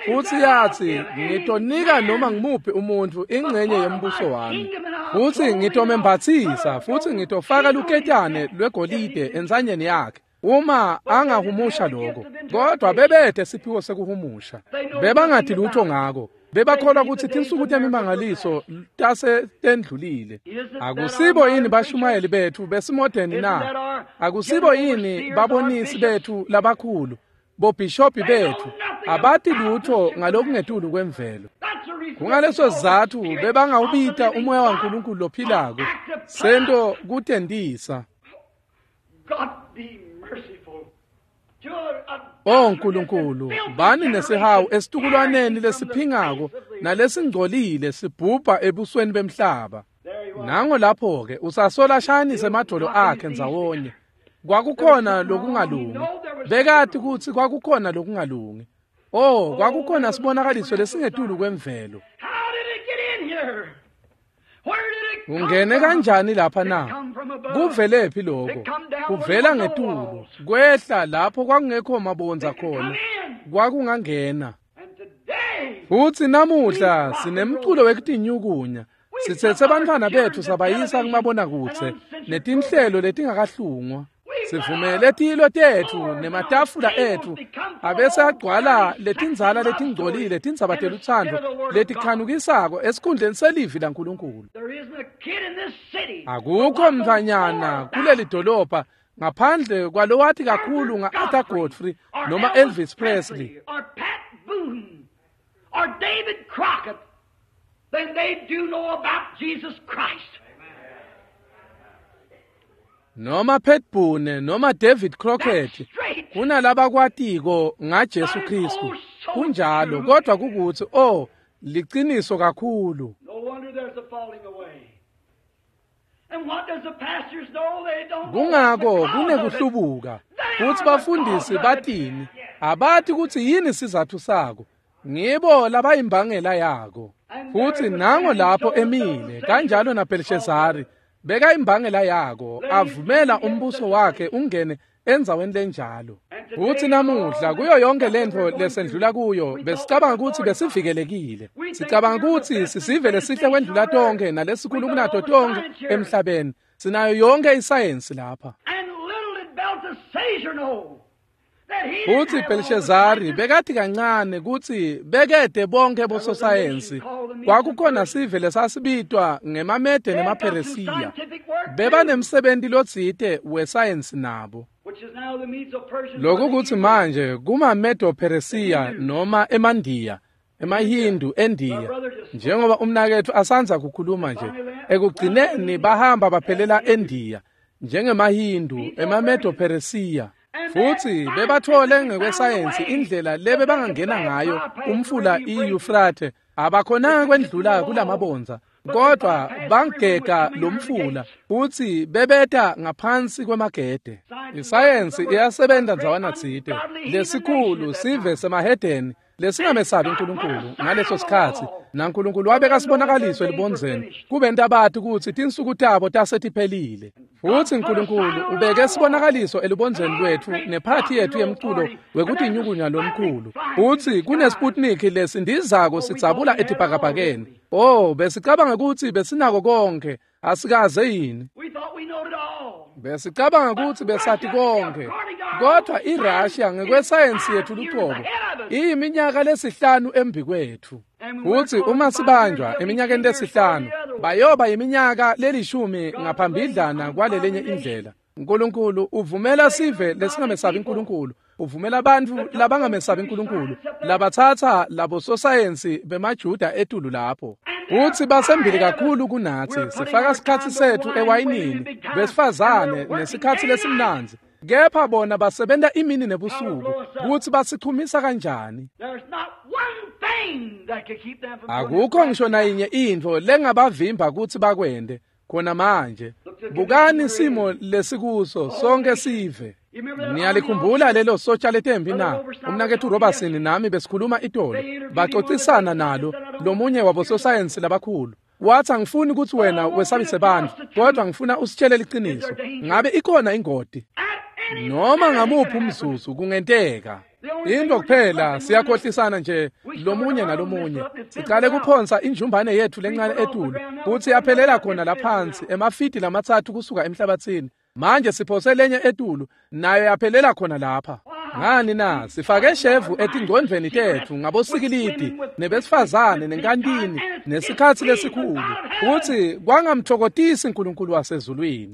Futsi yatsi, "Ngitonika noma ngimuphi umuntfu ingcenye yembuso wami. Futsi ngitomembatsisa, futsi ngitofaka luketane lwegolide entsanyeni yakhe uma angahumusha lokho." Kodwa bebete siphiwo sekuhumusha. Bebangati lutho ngako. Bebakholwa kutsi tinsuku temimangaliso tase tendlulile. Akusibo yini bashumayeli betfu besimodeni na? Akusibo yini babonisi betfu labakhulu, bobhishobhi betfu? Abati lutho ngalokungetulu kwemvelo. Kungaleso sizatfu bebangawubita umoya waNkulunkulu lophilako sento kutentisa. O Nkulunkulu, bani nesihawu esitukulwaneni lesiphingako nalesingcolile sibhubha ebusweni bemhlaba. Nango lapho-ke usasola ashayanise emadvolo akhe ndzawonye. Kwakukhona lokungalungi. Bekati kutsi kwakukhona lokungalungi. Oh, kwakukhona sibonakaliso lesingetulu kwemvelo. Ungene kanjani lapha na? Kuvelephi lokho? Kuvela ngetulu, kwehla lapho kwakungekho mabondza khona. Kwakungangena. Futsi namuhla sinemculo wekutinyukunya. Sitsetse bantfwana betfu sabayisa kumabonakudze netinhlelo letingakahlungwa. Sivumele tilo tetfu nematafula etfu abese agcwala letindzala letingcolile tindzaba telutsandvo letikhanukisako esikhundleni selivi laNkulunkulu. Akukho mntfwanyana kuleli dolobha ngaphandle kwalowati kakhulu nga-Arthur Godfrey noma Elvis Presley or David Crockett than they do know about Jesus Christ. Noma Pat Boone noma David Crockett kunalabakwatiko ngaJesu Kristu. Kunjalo, kodwa kukutsi oh liciniso kakhulu. Kungako kunekuhlubuka kutsi bafundisi batini abati kutsi yini sizatfu sako. Ngibo labayimbangela yako. Futsi nango lapho emile kanjalo naBelshazari beka imbangela yako avumela umbuso wakhe ungene endzaweni lenjalo. Futsi namuhla kuyo yonke lentfo lesendlula kuyo besicabanga kutsi besivikelekile. Sicabanga kutsi sisive lesihle kwendlula tonkhe nalesikhulu kunato tonkhe emhlabeni. Sinayo yonke isayensi lapha. Futsi Belshazari bekati kancane kutsi bekede bonke bososayensi. Kwakukhona sive lesasibitwa ngemaMede nemaPheresiya. Bebanemsebenti lotsite wesayensi nabo. Lokhu kutsi manje kumaMedo-Peresiya noma emaNdiya, emaHindu eNdiya, njengoba umnaketfu asandza kukhuluma nje, ekugcineni bahamba baphelela eNdiya njengemaHindu, emaMedo-Peresiya. Futsi bebathole ngekwesayensi indlela lebe bangangena ngayo umfula iYufrathe. Abakhonanga kwendlula kulamabondza, kodwa bangega lomfula futsi bebeta ngaphansi kwemagede. Isayensi iyasebenta ndzawana tsite. Lesikhulu sive semahedeni lesingamesabi uNkulunkulu ngaleso sikhatsi, naNkulunkulu wabeka sibonakaliso elibondzeni kubenta bati kutsi tinsuku tabo tasetiphelile. Futsi uNkulunkulu ubeke sibonakaliso elibondzeni lwetfu nephathi yetfu yemculo wekutinyukunya lomkhulu. Futsi kuneSputnik lesindizako sidzabula etibhakabhakeni. Oh, besicabanga kutsi besinako konke, asikaze yini? Besicabanga kutsi besati konke, kodwa iRussia ngekwesayensi yetfu lucobo iyiminyaka lesihlanu embikwetfu. Futsi uma sibanjwa eminyakeni lesihlanu bayoba iminyaka lelishumi ngaphambidlana kwalelenye indlela. uNkulunkulu uvumela sive lesingamesabi uNkulunkulu, uvumela bantfu labangamesabi uNkulunkulu labatsatsa labososayensi bemaJuda etulu lapho. Futsi basembili kakhulu kunatsi. Sifaka sikhatsi setfu ewayinini besifazane nesikhatsi lesimnandzi, kepha bona basebenta imini nebusuku. Kutsi basichumisa kanjani? Akukho ngisho nayinye intfo lengabavimba kutsi bakwente khona manje. Bukani simo lesikuso sonke sive. Niyalikhumbula lelo sotsha letembi na? Umnaketfu Robertson nami besikhuluma itolo. Bacocisana nalo lomunye wabososayensi labakhulu. Wathi angifuni kutsi wena wesabise bantfu, kodwa ngifuna usitshele liciniso. Ngabe ikhona ingoti? Noma ngamuphi umzuzu kungenteka. Into kuphela siyakhohlisana nje lomunye nalomunye. Sicale kuphonsa injumbane yetfu lencane etulu kutsi yaphelela khona laphansi emafidi lamatsatfu kusuka emhlabatsini. Manje siphose lenye etulu nayo yaphelela khona lapha. Ngani na? Sifake shevu etingcondvweni tetfu ngabosikilidi nebesifazane nenkantini nesikhatsi lesikhulu, kutsi kwangamtfokotisi uNkulunkulu wasezulwini.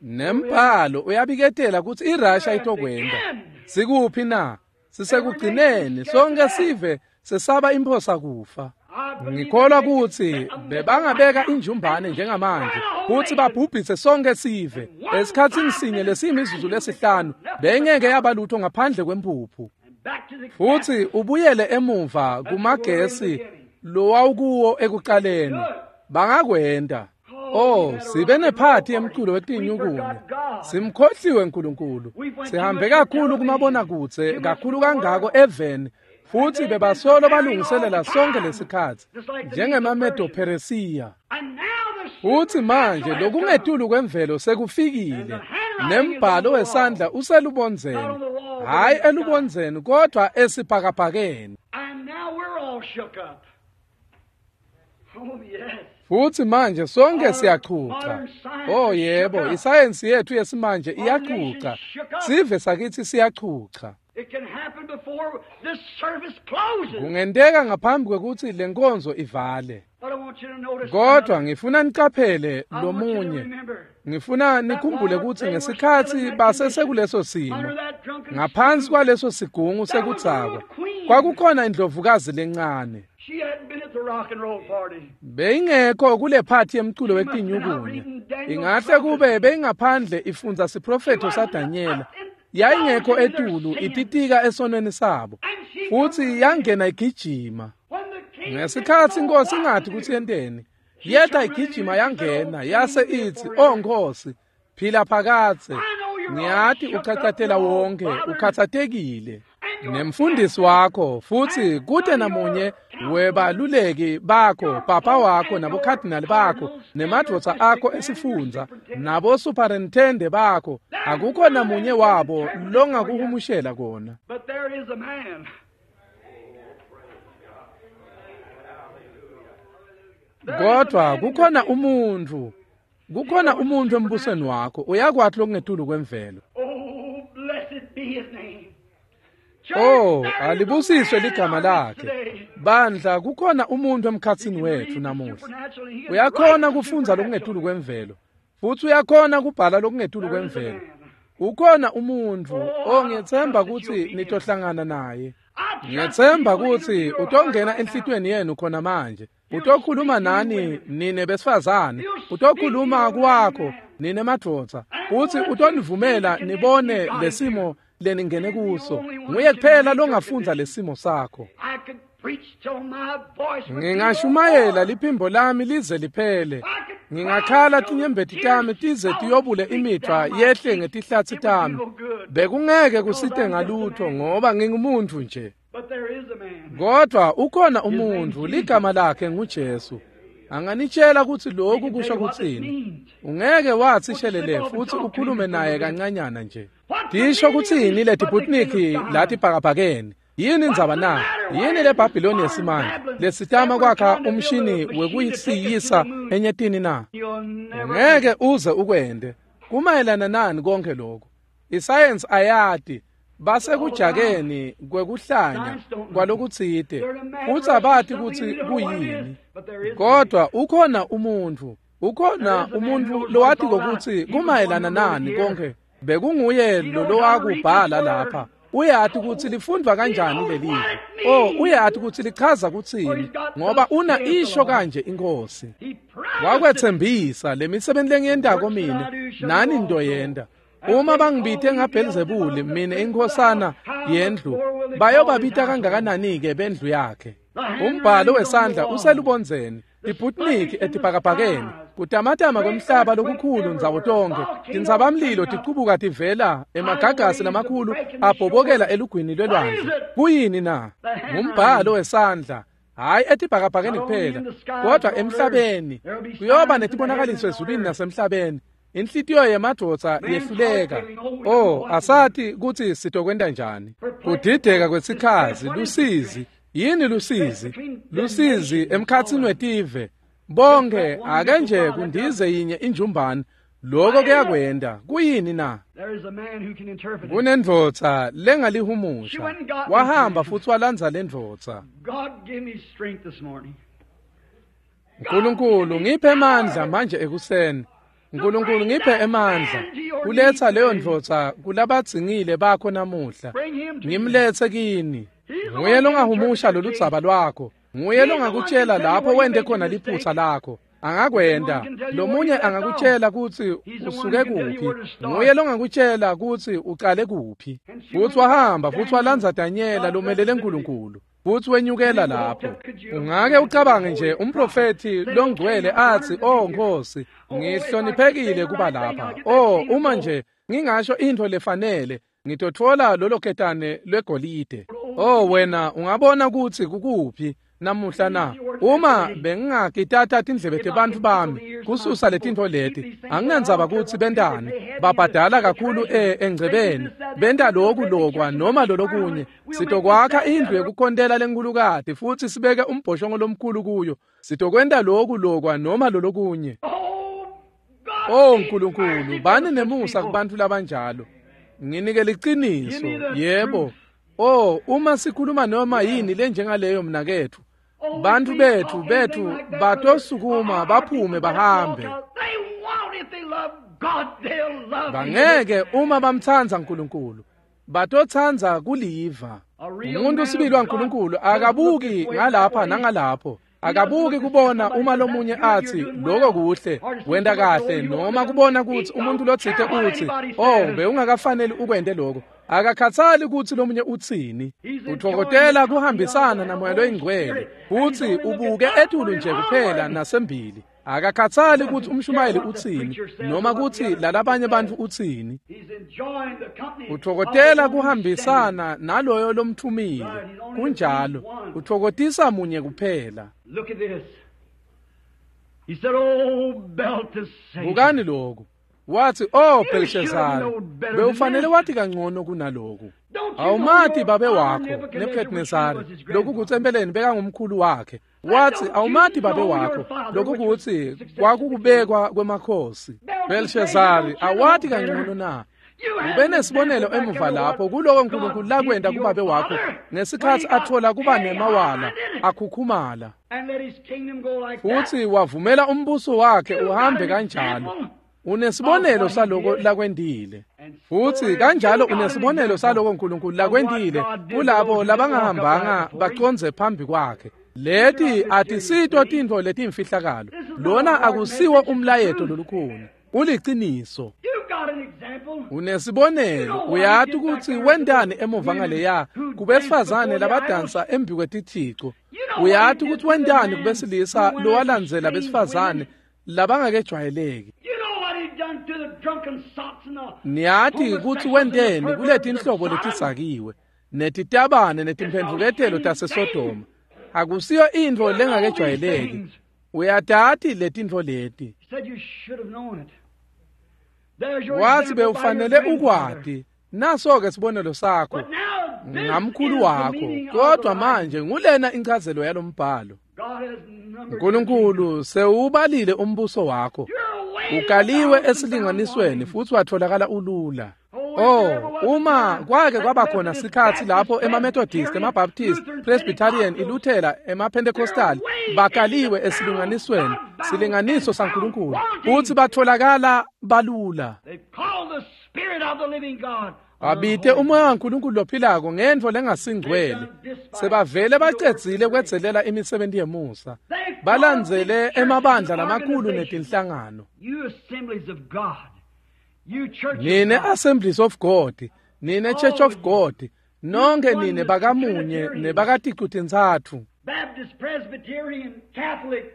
Nembhalo uyabiketela kutsi iRussia itokwenta. Sikuphi na? Sisekugcineni, sonke sive sesaba imphosa kufa. Ngikholwa kutsi bebangabeka injumbane njengamanje kutsi babhubhise sonke sive esikhatsini sinye lesiyimizuzu lesihlanu, bengeke yabalutho ngaphandle kwempuphu. Futsi ubuyele emuva kumagesi lowawukuwo ekuqaleni. Bangakwenta. Oh, sibe nephathi yemculo wetinyukunya. Simkhohliwe uNkulunkulu. Sihambe kakhulu kumabonakudze, kakhulu kangako eveni, futsi bebasolo balungiselela sonke lesikhatsi njengemaMedo-Persia. Futsi manje lokungetulu kwemvelo sekufikile, nembhalo wesandla uselubondzeni, hhayi elubondzeni kodwa esibhakabhakeni. Futsi manje sonke siyachucha. Oh yebo, isayensi yethu yesimanje iyachucha. Sive sakithi siyachucha. Kungenteka ngaphambi kwekutsi lenkonzo ivale. Kodwa ngifuna niqaphele lomunye. Ngifuna nikhumbule kutsi ngesikhatsi basesekuleso simo, ngaphansi kwaleso sigungu sekudzakwa, kwakukhona indlovukazi lencane. Beyingekho kule phathi yemculo wetinyukunya. Ingahle kube beyingaphandle ifundza siprofetho saDanyela. Yayingekho etulu ititika esonweni sabo, futsi yangena igijima. Ngesikhatsi inkosi ingathi kutsi yenteni, yeta igijima yangena yase itsi, "Oh Nkosi, phila phakadze. Ngiyati uchachatela wonke, ukhathatekile nemfundisi wakho, futsi kute namunye webaluleki bakho, papa wakho nabokhadinali bakho nemadvodza akho esifundza nabosuperintende bakho, akukho namunye wabo longakuhumushela kona." Kodwa kukhona umuntfu, kukhona umuntfu embusweni wakho uyakwati lokungetulu kwemvelo. Oh, alibusiswe ligama lakhe. Bandla, kukhona umuntu emkhatsini wetfu namuhla. Uyakhona kufundza lokungetulu kwemvelo, futsi uyakhona kubhala lokungetulu kwemvelo. Ukhona umuntfu, oh ngiyetsemba kutsi nitohlangana naye. Ngiyetsemba kutsi utongena enhlitiyweni yenu khona manje. Utokhuluma nani nine besifazane, utokhuluma kwakho nine madvodza, kutsi utonivumela nibone lesimo leningene kuso. Nguye kuphela longafundza lesimo sakho. Ngingashumayela liphimbo lami lize liphele. Ngingakhala tinyembeti tami tize tiyobule imidvwa yehle ngetihlatsi tami. Bekungeke kusite ngalutho ngoba ngingumuntu nje. Kodwa ukhona umuntfu, ligama lakhe nguJesu. Anganitshela kutsi lokhu kusho kutsini. Ungeke wathi shelele futhi ukhulume naye kancanyana nje. Tisho kutsini letiputniki lathi bhakabhakeni? Yini indzaba na? Yini le Babylon yesimanje lesitama kwakha umshini wekuyisiyisa enyetini na? Ngeke uze ukwende. Kumayelana nani konke lokho? Isayensi ayati. Basekujakeni kwekuhlanya kwalokutsite, futsi abati kutsi kuyini. Kodwa ukhona umuntfu, ukhona umuntfu lowatiko kutsi kumayelana nani konke. Bekunguye lo lowakubhala lapha. Uyati kutsi lifundvwa kanjani lelivi. Oh, uyati kutsi lichaza kutsini, ngoba una isho kanje inkosi. Wakwetsembisa lemisebenti lengiyentako mine, nani ntoyenta. Uma bangibite ngaBhelzebuli mine inkhosana yendlu, bayobabita kangakanani-ke bendlu yakhe. Umbhalo wesandla uselubondzeni, iputniki etibhakabhakeni, kutamatama kwemhlaba lokukhulu ndzawo tonkhe, tintsabamlilo ticubuka tivela emagagasi lamakhulu abhobokela elugwini lwelwandle. Kuyini na? Ngumbhalo wesandla. Hhayi etibhakabhakeni kuphela, kodwa emhlabeni. Kuyoba netibonakaliso ezulwini nasemhlabeni. Inhlitiyo yemadvodza yehluleka. Oh, asati kutsi sitokwenta njani. Kudideka kwesikhazi, lusizi. Yini lusizi? Lusizi emkhatsini wetive. Bonke ake nje kundize yinye injumbane, Lokho kuyakwenda. Kuyini na? Kunendvodza lengalihumusha. Wahamba futhi walandza lendvodza. Nkulunkulu ngiphe emandla manje ekuseni. Nkulunkulu ngiphe emandla kuletha leyo ndvodza kulabadzingile bakho namuhla. Ngimlethe kini. Nguye longahumusha loludzaba lwakho. Nguye longakutshela lapho wente khona liphutha lakho. Angakwenda. Lomunye angakutshela kutsi usuke kuphi. Nguye longakutshela kutsi ucale kuphi. Futhi wahamba futhi walandza Danyela lomelele uNkulunkulu. Futhi wenyukela lapho. Ungake ucabange nje umprofethi longcwele athi, "Oh Nkosi, ngihloniphekile kuba lapha. Oh, uma nje ngingasho into lefanele, ngitothola lolo ketane lwegolide." Oh wena ungabona ukuthi kukuphi namuhla na? Uma bengingakitata tindlebe tebantfu bami kususa letintfo leti, anginandzaba kutsi bentani, babhadala kakhulu engcebeni, benta loku lokwa noma lolokunye. Sitokwakha indlu yekukhontela lenkhulukati futhi sibeke umbhoshongo lomkhulu kuyo. Sitokwenta loku lokwa noma lolokunye. Oh Nkulunkulu, bani nemusa kubantfu labanjalo. Nginike liciniso, yebo. Oh, uma sikhuluma noma yini lenjengaleyo mnaketfu, bantfu bethu batosukuma baphume bahambe. Bangeke uma bamtsandza uNkulunkulu, batotsanza kuliva. Umuntu sibili waNkulunkulu akabuki ngalapha nangalapho. Akabuki kubona uma lomunye athi lokho kuhle, wenta kahle, noma kubona kutsi umuntu lotsite utsi, "Oh, bewungakafaneli ukwente lokho." Akakhathali kutsi lomunye utsini. Utfokotela kuhambisana namoya loyingcwele futsi ubuke etulu nje kuphela nasembili. Akakhathali kutsi umshumayeli utsini noma kutsi lalabanye bantfu utsini. Utfokotela kuhambisana naloyo lomthumile. Kunjalo, utfokotisa munye kuphela. Bukani lokhu. Wathi, "Oh Belshazari, bewufanele wathi kangcono kunaloku. Awumati babe wakho Nebuchadnezzar, lokhu kutsi empeleni bekangumkhulu wakhe." Wathi, "Awumati babe wakho, lokhu kutsi kwakukubekwa kwemakhosi. Belshazari, awati kangcono na? Ube nesibonelo emuva lapho kuloko uNkulunkulu lakwenta kubabe wakho ngesikhatsi athola kuba nemawala akhukhumala, futhi wavumela umbuso wakhe uhambe kanjalo. Unesibonelo saloko lakwendile, futhi kanjalo unesibonelo saloko uNkulunkulu lakwendile kulabo labangahambanga bacondze phambi kwakhe. Leti atisito tintfo letimfihlakalo. Lona akusiwo umlayeto lolukhulu, uliciniso. Unesibonelo, uyati ukuthi wentani emuva ngaleya kubesifazane labadansa embi kwetithico. Uyati ukuthi wentani kubesilisa lowalandzela besifazane labangakejwayeleki. Niyati kutsi wenteni kuletinhlobo letisakiwe netitabane netimphendvuketelo taseSodoma. Akusiyo intfo lengakejwayeleki. Uyatati letintfo leti. Wathi bewufanele ukwati. Naso-ke sibonelo sakho ngamkhulu wakho, kodwa manje ngulena inchazelo yalombhalo. Nkulunkulu sewubalile umbuso wakho, ukaliwe esilinganisweni futhi watholakala ulula. Oh, uma kwake kwaba khona sikhatsi lapho emaMethodist, emaBaptist, Presbyterian, iLuthela, emaPentecostal bakaliwe esilinganisweni, silinganiso saNkulunkulu, futhi batholakala balula. Babite umoya waNkulunkulu lophilako ngentfo lengasingcwele. Sebavele bacedzile kwedzelela imisebenti yemusa. Balandzele emabandla lamakhulu netinhlangano. Nine Assemblies of God, nine Church of God, nonke nine bakamunye nebakaticu-tintsatfu. Baptist, Presbyterian, Catholic.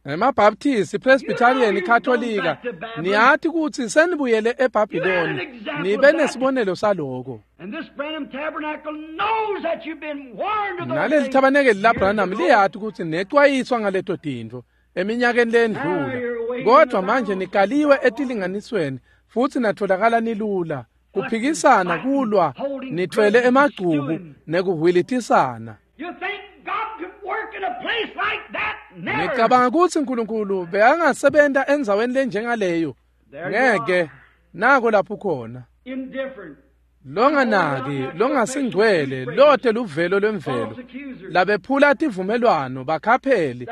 EmaBaptist, Presbyterian, Katolika, niyati kutsi senibuyele eBhabhiloni, nibe nesibonelo saloko. Naleli thabanekeli laBranham liyati kutsi necwayiswa ngaleto tintfo eminyakeni lendlula, kodwa manje nikaliwe etilinganisweni futhi natholakala nilula. Kuphikisana, kulwa, nithwele emagcubu nekuhwilitisana. Ngicabanga kutsi uNkulunkulu bekangasebenta endzaweni lenjengaleyo. Ngeke nako lapho khona. Longanaki, longasingcwele, lote luvelo lwemvelo, labephula tivumelwano bakhapheli,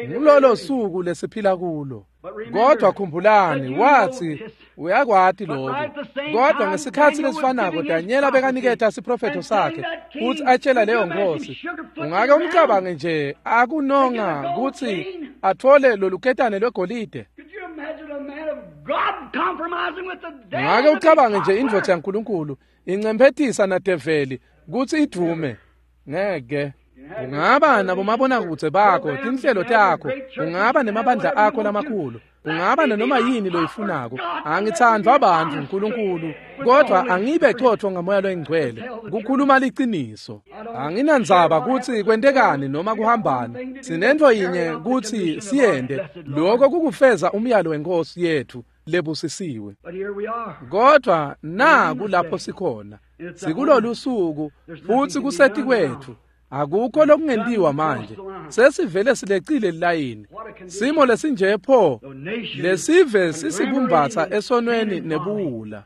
ngulolo suku lesiphila kulo. Kodwa khumbulani, wathi uyakwati lokho. Kodwa ngesikhatsi lesifanako Danyela bekaniketa siprofetho sakhe kutsi atshela leyo nkosi. Ungake umcabange nje akunonga kutsi atfole loluketane lwegolide. Ungake ucabange nje indvodza yaNkulunkulu incemphetisa nadeveli kutsi idvume. Ngeke. Ungaba nabomabonakudze bakho, tinhlelo takho, ungaba nemabandla akho lamakhulu, ungaba nanoma yini loyifunako. Angitsandvwa bantfu uNkulunkulu, kodwa angibe cotfo ngamoya loyingcwele, kukhuluma liciniso. Anginandzaba kutsi kwentekani noma kuhambani, sinentfo yinye kutsi siyente, lokho kukufeza umyalo wenkosi yethu lebusisiwe. Kodwa naku lapho sikhona, sikulolu suku futsi kusetikwetfu. Akukho lokungentiwa manje, sesivele silecile lilayini. Simo lesinje pho lesive sisibumbatsa esonweni nebuwula.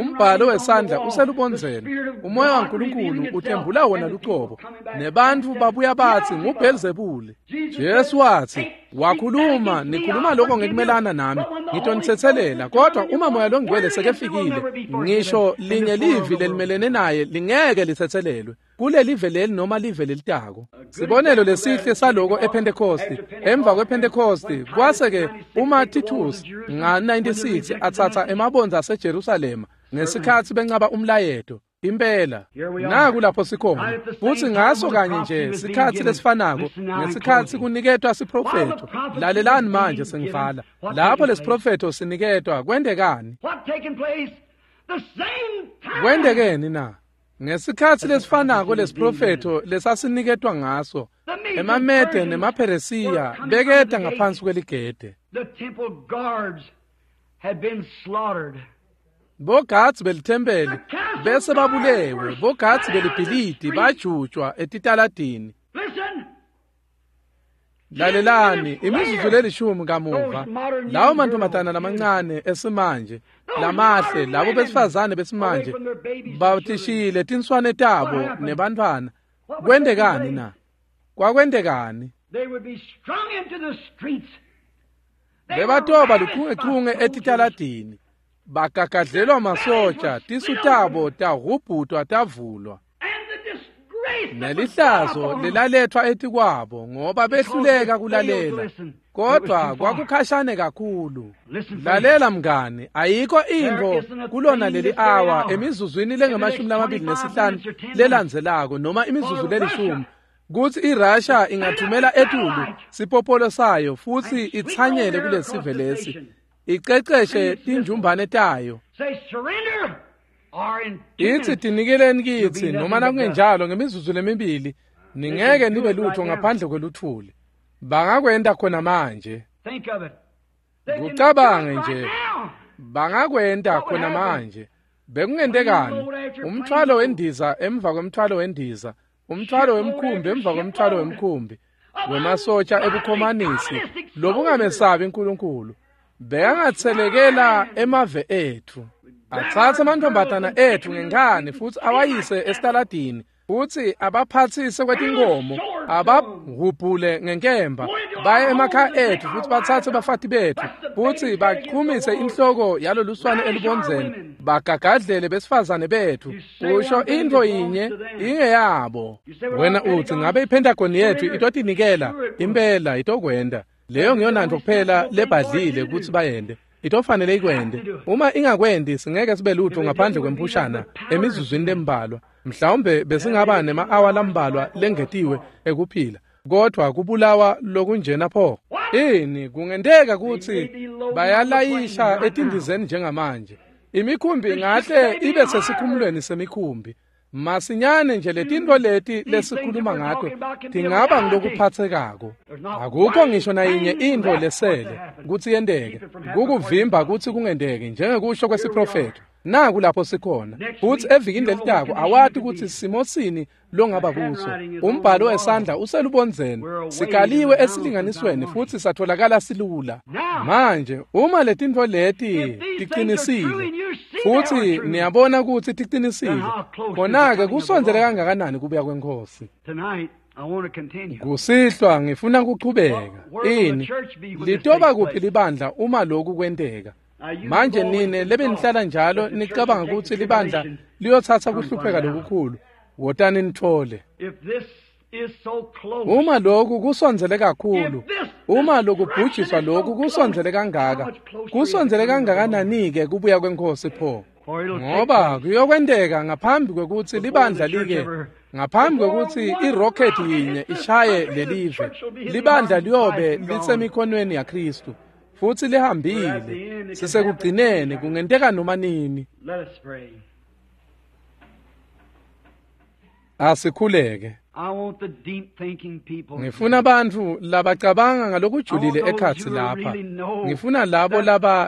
Umbhalo wesandla uselubondzeni, umoya waNkulunkulu uthembula wona lucobo, nebantfu babuya batsi nguBhelzebule. Jesu wathi, wakhuluma, nikhuluma lokho ngekumelana nami, ngitonitsetselela, kodwa uma moya longcwele sekefikile, ngisho linye livi lelimelene naye lingeke litsetselelwe kulelive leli noma live lelitako. Sibonelo lesihle saloko ePhentekosti. Emva kwePhentekosti kwase-ke uma Titus nga-96 atsatsa emabondza aseJerusalema ngesikhatsi bencaba umlayeto. Impela naku lapho sikhona, futsi ngaso kanye nje sikhatsi lesifanako ngesikhatsi kuniketwa siprofetho. Lalelani manje sengivala. Lapho lesiprofetho siniketwa kwentekani? Kwentekeni na? Ngesikhatsi lesifanako lesiprofetho lesasiniketwa ngaso, emaMede nemaPheresiya beketa ngaphansi kweligede. Bogadzi belithempeli bese babulewe, bogadzi belibhilidi bajutjwa etitaladini. Lalelani, imizuzu lelishumi kamuva, lawo mantombazana lamancane esimanje, lamahle, labo besifazane besimanje batishile tinswane tabo nebantfwana. Kwentekani na? Kwakwentekani? Bebatoba lukhungechunge etitaladini, bagagadlelwa masotsha, tisu tabo tahubhutwa tavulwa. Nelihlazo lelalethwa etikwabo ngoba behluleka kulalela, kodwa kwakukhashane kakhulu. Lalela mngani, ayikho intfo kulona leli awa emizuzwini lengamashumi-25 lelandzelako noma imizuzu lelishumi kutsi iRussia ingathumela etulu sipopolo sayo futsi itsanyele kulesive lesi, iceceshe tinjumbane tayo. Itsi tinikeleni kitsi noma nakungenjalo ngemizuzu lemibili ningeke nibe lutho ngaphandle kweluthuli. Bangakwenta khona manje. Kucabange nje, bangakwenta khona manje. Bekungentekani? Umthwalo wendiza emva kwemthwalo wendiza, umthwalo wemkhumbi emva kwemthwalo wemkhumbi, wemasotsha ebukhomanisi lobungamesabi uNkulunkulu, bekangatselekela emave etfu, atsatse amantombazana etfu ngenkhani futsi awayise esitaladini, futsi abaphatsise kwetinkomo, abahubhule ngenkemba, baye emakhaya etfu futsi batsatse bafati betfu, futsi bachumise inhloko yaloluswane elubondzeni, bagagadlele besifazane betfu. Usho intfo yinye ingeyabo. Wena utsi ngabe iPentagon yetfu itotinikela? Impela itokwenta. Leyo ngiyona kuphela lebhadlile kutsi bayende. Itofanele ikwende. Uma ingakwendi singeke sibe lutho ngaphandle kwemphushana emizuzwini lembalwa. Mhlawumbe besingaba nema-awa lambalwa lengetiwe ekuphila, kodwa kubulawa lokunjena pho. Ini kungenteka kutsi bayalayisha etindizeni njengamanje. Imikhumbi ngahle ibe sesikhumulweni semikhumbi. Masinyane nje letintfo leti lesikhuluma ngato tingaba ngilokuphatsekako. Akukho ngisho nayinye intfo lesele kutsi yenteke, kukuvimba kutsi kungenteki njengekusho kwesiprofetho. Naku lapho sikhona. Futhi evikini lelitako awati ukuthi simo sini longaba kuso. Umbhalo wesandla uselubondzeni. Sikaliwe esilinganisweni futhi satholakala silula. Manje uma letintfo leti tiqinisile futhi niyabona ukuthi tiqinisile, khona-ke kusondzele kangakanani kubuya kweNkhosi. Kusihlwa ngifuna kuchubeka. Ini litoba kuphi libandla uma lokhu kwenteka? Manje nine lebenihlala njalo nicabanga ukuthi libandla liyotsatsa kuhlupheka lokukhulu, wotani nithole. Uma lokhu kusondzele kakhulu, uma lokubhujiswa lokhu kusondzele kangaka, kusondzele kangakanani-ke kubuya kweNkhosi pho? Ngoba kuyokwenteka ngaphambi kwekutsi libandla like, ngaphambi kwekutsi irocket yinye ishaye lelive, libandla liyobe lisemikhonweni yaKhristu futhi lihambile. Sisekugcineni, kungenteka noma nini. Asikhuleke. Ngifuna bantfu labacabanga ngalokujulile ekhatsi lapha. Ngifuna labo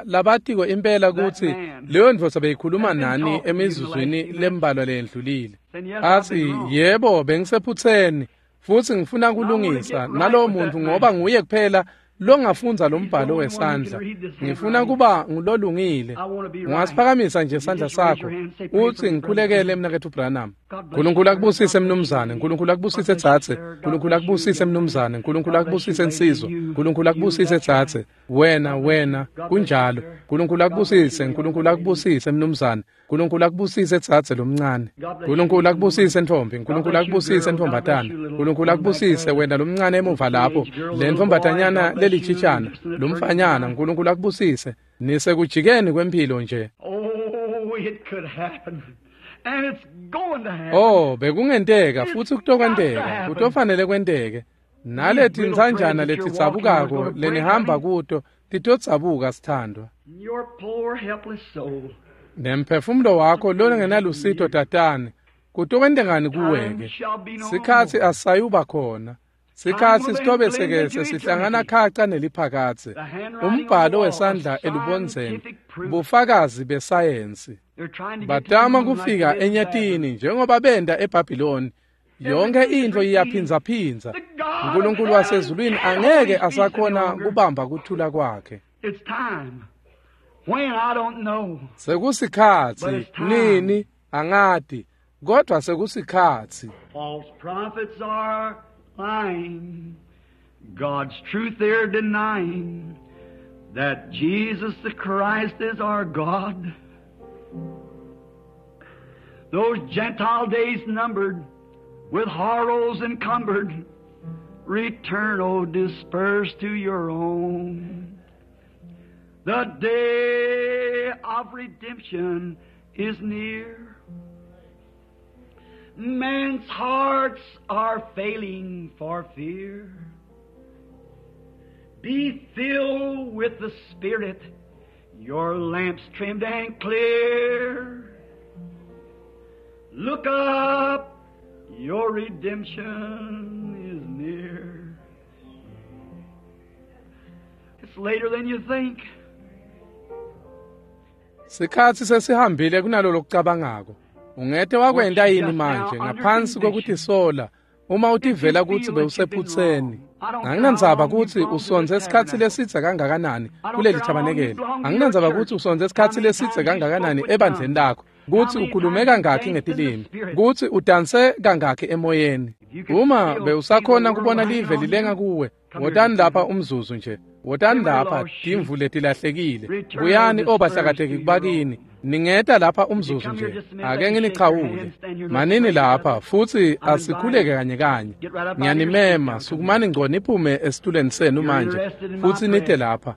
labatiko impela kutsi leyo ndvodza beyikhuluma nani emizuzwini lembalwa leyendlulile. Athi, yebo, bengisephutseni futhi ngifuna kulungisa nalowo muntu ngoba nguye kuphela longafundza lo mbhalo wesandla. Ngifuna kuba ngulolungile. Ungasiphakamisa nje isandla sakho uthi ngikhulekele mnaketfu Branham. Nkulunkulu akubusise mnumzane, Nkulunkulu akubusise tsatse, Nkulunkulu akubusise mnumzane, Nkulunkulu akubusise nsizwa, Nkulunkulu akubusise tsatse, wena wena kunjalo. Nkulunkulu akubusise, Nkulunkulu akubusise mnumzane, Nkulunkulu akubusise tsatse lomncane. Nkulunkulu akubusise ntombi, Nkulunkulu akubusise ntombatana, Nkulunkulu akubusise wena lomncane emuva lapho, le ntombatanyana lelichitshana, lomfanyana, Nkulunkulu akubusise. Nisekujikeni kwempilo nje. Oh, bekungenteka futhi kutokwenteka, kutofanele kwenteke. Naleti ntsanjana letidzabukako lenihamba kuto titodzabuka sithandwa. Nemphefumulo wakho longenalusito tatane, kutokwentekani kuweke? Sikhatsi asayuba khona. Sikhatsi sitobe sekese sihlangana khaca neliphakadze. Umbhalo wesandla elubondzeni, bufakazi besayensi. Batama kufika enyatini njengoba benta eBhabhiloni. Yonke intfo iyaphindzaphindza. Nkulunkulu wasezulwini angeke asakhona kubamba kuthula kwakhe. Sekusikhatsi nini angati, kodwa sekusikhatsi. False prophets are lying, God's truth they're denying, that Jesus the Christ is our God. Those Gentile days numbered, with horrors encumbered, return, O dispersed to your own. The day of redemption is near. Men's hearts are failing for fear. Be filled with the Spirit, your lamps trimmed and clear. Look up, your redemption is near. It's later than you think. Sikhatsi sesihambile kunalo lokucabangako. Ungete wakwenta yini manje ngaphansi kokutisola uma utivela kutsi bewusephutseni? Anginandzaba kutsi usondze isikhatsi lesidze kangakanani kuleli thabanekeli. Anginandzaba kutsi usondze isikhatsi lesidze kangakanani ebandleni lakho, kutsi ukhulume kangakhi ngetilimi, kutsi udanse kangakhi emoyeni. Uma bewusakhona kubona live lilenga kuwe, wotani lapha umzuzu nje. Wotani lapha timvu letilahlekile. Buyani obahlakateki kubakini. Ningeta lapha umzuzu nje. Ake nginichawule. Manini lapha futhi asikhuleke kanye kanye. Ngiyanimema, sukumani ngco niphume esitulweni senu manje futhi nite lapha.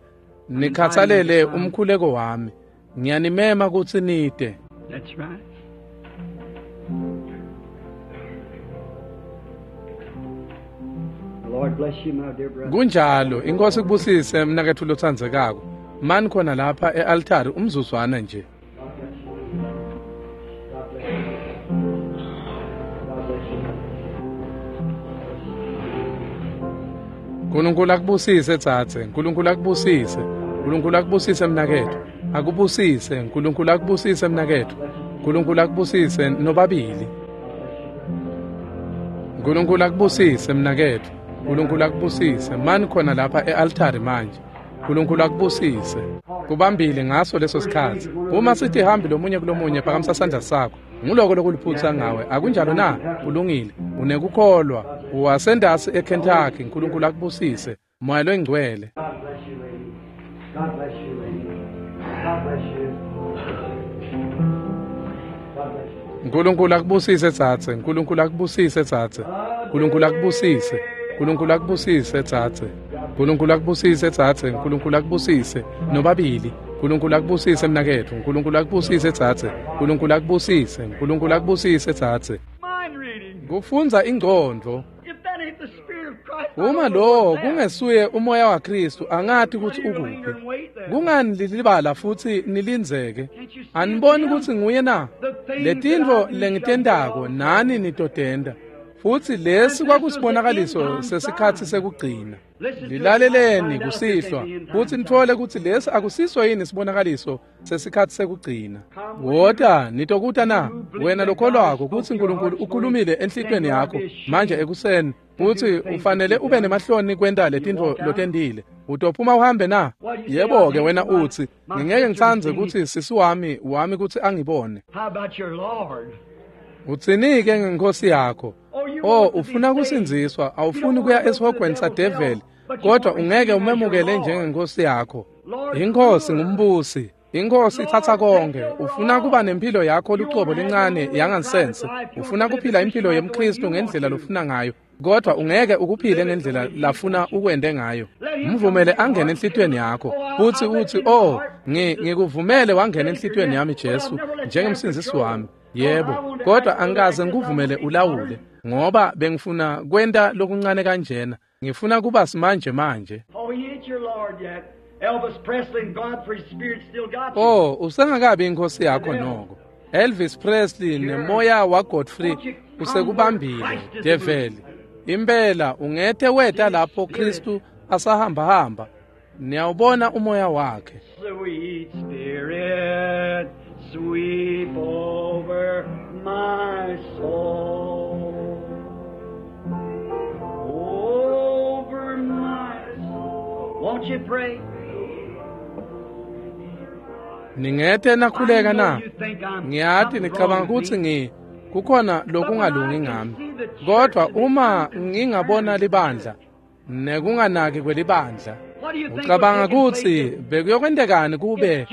Nikhathalele umkhuleko wami. Ngiyanimema kutsi nite. That's right. Lord bless you, my dear brother. Kunjalo, inkosi kubusise mnaketfu lotsandzekako. Mani khona lapha e-altari umzuzwana nje. God bless you. God bless you. God bless you. Nkulunkulu akubusise tsatse, Nkulunkulu akubusise. Nkulunkulu akubusise mnaketfu. akubusise. Nkulunkulu akubusise mnaketfu. Nkulunkulu akubusise nobabili. Nkulunkulu akubusise mnaketfu. Nkulunkulu akubusise. Mani khona lapha e-altari manje. Nkulunkulu akubusise. Kubambile ngaso leso sikhatsi. Uma sithi hambi lomunye kulomunye, phakamisa sandla sakho. Nguloko lokuliphutsa ngawe. Akunjalo na? Ulungile. Unekukholwa. Uwasendasi eKentucky. Nkulunkulu akubusise. Moya loyingcwele. God bless you, lady. God bless you, lady. God bless you. God bless you. Nkulunkulu akubusise tsatse. Nkulunkulu akubusise tsatse. Nkulunkulu akubusise. Nkulunkulu akubusise tsatse. Nkulunkulu akubusise tsatse. Nkulunkulu akubusise nobabili. Nkulunkulu akubusise mnaketfu. Nkulunkulu akubusise tsatse. Nkulunkulu akubusise. Nkulunkulu akubusise tsatse. Mind reading. Kufundza ingcondvo. If that ain't the Spirit of Christ, I Uma don't know lo what's that. kungesuye umoya waKristu, angati kutsi Why do you linger ukuphi. and wait then? Kungani lilibala futhi nilindzeke? Aniboni kutsi nguye na? Letintfo lengitentako nani nitotenta. Futsi lesi kwakusibonakaliso sesikhatsi sekugcina. Lilaleleni kusihlwa futsi nitfole kutsi lesi akusiso yini sibonakaliso sesikhatsi sekugcina. Wota nitokuta na? Wena lokholwako kutsi Nkulunkulu ukhulumile enhlitiyweni yakho manje ekuseni futsi ufanele ube nemahloni kwenta letintfo lotentile. Utophuma uhambe na? Yebo-ke wena utsi, ngingeke ngitsandze kutsi sisi wami kutsi angibone. How about your Lord? Utsini-ke ngenkosi yakho? Oh, ufuna kusindziswa, awufuni kuya esihogweni sadeveli, kodwa ungeke umemukele njengenkosi yakho. Inkosi ngumbusi. Inkosi itsatsa konke. Ufuna kuba nempilo yakho lucobo lencane yangansense. Ufuna kuphila impilo yemKristu ngendlela lofuna ngayo, kodwa ungeke ukuphile ngendlela lafuna ukwente ngayo. Mvumele angene enhlitiyweni yakho futsi utsi, oh, ngikuvumele wangena enhlitiyweni yami Jesu njengemsindzisi wami. Yebo, kodwa angikaze ngikuvumele ulawule, ngoba bengifuna kwenta lokuncane kanjena. Ngifuna kuba simanje manje. Oh, he ain't your Lord yet. Elvis Presley and Godfrey's spirit still got you. Oh, usengakabi inkosi yakho noko. Elvis Presley nemoya waGodfrey usekubambile, develi. Impela ungethe weta lapho Kristu asahamba hamba. Niyawubona umoya wakhe. Sweet Spirit, sweep over my soul. Over my soul. Won't you pray? Ningethe nakhuleka I know na? you think I'm Ngiyati something nicabanga wrong with kutsi me. kukhona lokungalungi ngami. Kodwa uma ngingabona libandla nekunganaki kwelibandla, What do you think ucabanga would take kutsi place if bekuyokwendekani kube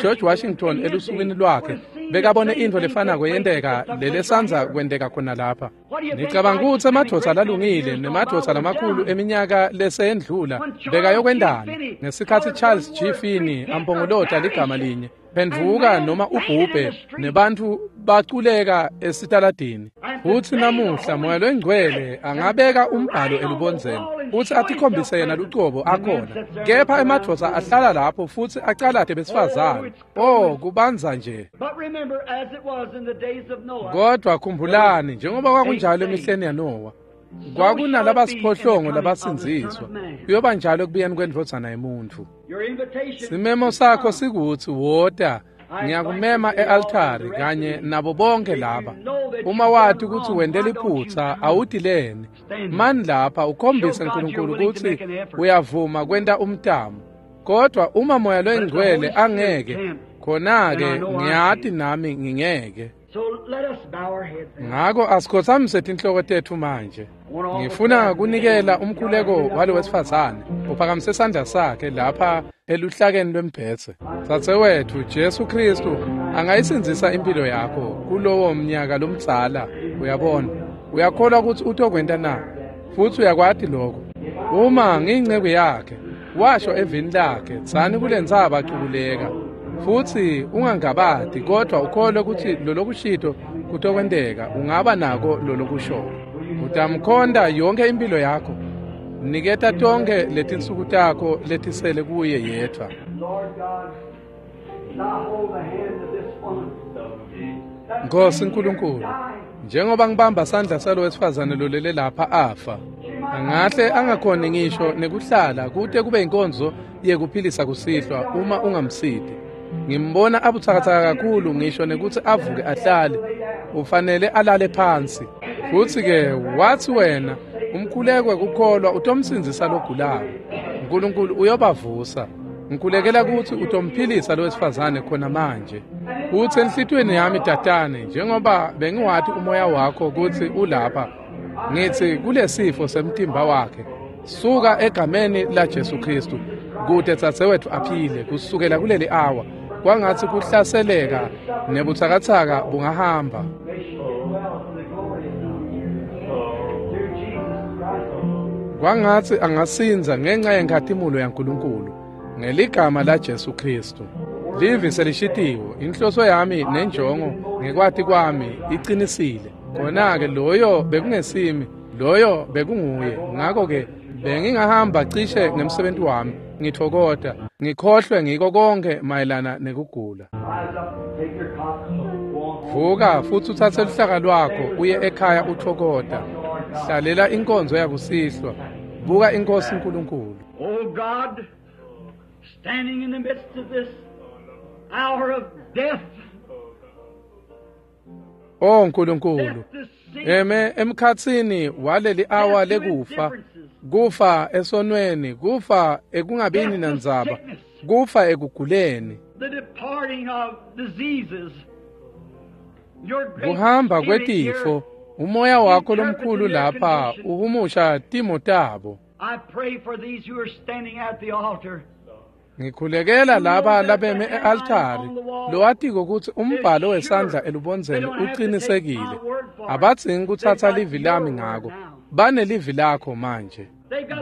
George Washington elusukwini lwakhe bekabone intfo lefanako yenteka lelesandza kwenteka khona lapha? Nicabanga kutsi emadvodza lalungile nemadvodza lamakhulu eminyaka leseyendlula bekayokwendani ngesikhatsi Charles G. Finney ampongolota ligama linye, phendvuka noma ubhubhe, nebantfu baculeka esitaladini? Futsi namuhla Moya loyingcwele angabeka umbhalo elubondzeni futsi atikhombise yena lucobo akhona, kepha emadvodza ahlala lapho futsi acalate besifazane. Oh, kubanza nje. But remember, as it was in the days of Noah, Kodwa khumbulani, njengoba kwakunjalo emihleni yaNowa, kwakunalabasiphohlongo labasindziswa, kuyoba njalo ekubuyeni kwendvodzana yemuntfu. your invitation Simemo sakho sikutsi wota. Ngiyakumema e-altari kanye nabo bonke laba. Uma wati kutsi wente liphutsa, awutileni. Mani lapha ukhombise Nkulunkulu kutsi uyavuma kwenta umtamo. Kodwa uma Moya loyingcwele angeke, khona-ke ngiyati nami ngingeke. So let us bow our heads now. Ngako asikhotsamise tinhloko tetfu manje. Ngifuna kunikela umkhuleko walo wesifazane uphakamise sandla sakhe lapha eluhlakeni lwembhedze. Dzadzewetfu, Jesu Kristu angayisindzisa impilo yakho kulowo mnyaka lomdzala. Uyabona, uyakholwa kutsi utokwenta na? Futsi uyakwati lokho. Uma ngiyinceku yakhe, washo evini lakhe, tsani kule ntsaba cukuleka. Futsi ungangabati, kodwa ukholwe kutsi lolokushito kutokwenteka, ungaba nako lolokushoko. Utamkhonta yonke impilo yakho. Niketa tonkhe letinsuku takho letisele kuye yedvwa. Lord God, thou hold the hand of this woman. Nkosi Nkulunkulu, njengoba ngibamba sandla salo wesifazane lolele lapha afa, angahle angakhoni ngisho nekuhlala kute kube inkonzo yekuphilisa kusihlwa uma ungamsiti. Ngimbona abutsakatsaka kakhulu ngisho nekuthi avuke ahlale. Ufanele alale phansi. Futhi-ke wathi wena umkhuleko wekukholwa utomsindzisa logulako. uNkulunkulu uyobavusa. Ngikhulekela ukuthi utomphilisa lo wesifazane khona manje. Futhi enhlitiyweni yami tatane, njengoba bengiwathi umoya wakho ukuthi ulapha, ngithi kulesifo semtimba wakhe, suka egameni la Jesu Kristu, kude dzadzewethu aphile kusukela kuleli awa. Kwangathi kuhlaseleka nebutsakatsaka bungahamba. Kwangathi angasinza ngenxa yenkhatimulo yaNkulunkulu ngeligama la Jesu Kristu. Livi selishitiwe, inhloso yami nenjongo ngekwati kwami iqinisile. Khona-ke loyo bekungesimi, loyo bekunguye. Ngakho-ke bengingahamba cishe ngemsebenzi wami, ngithokota, ngikhohlwe ngiko konke mayelana nekugula. Vuka futhi uthathe luhlaka lwakho uye ekhaya uthokota. Hlalela inkonzo yakusihlwa. Buka inkosi uNkulunkulu. Oh God, standing in the midst of this hour of death. Oh Nkulunkulu, eme emkhatsini waleli awa lekufa, kufa esonweni, kufa ekungabini nandzaba, kufa ekuguleni, the departing of diseases. Kuhamba kwetifo, umoya wakho lomkhulu lapha uhumusha timo tabo. I pray for these who are standing at the altar. Ngikhulekela laba labeme e-altari lowatiko ukuthi umbhalo wesandla elubondzeni uqinisekile. Abadzingi kuthatha livi lami ngako. Banelivi lakho manje.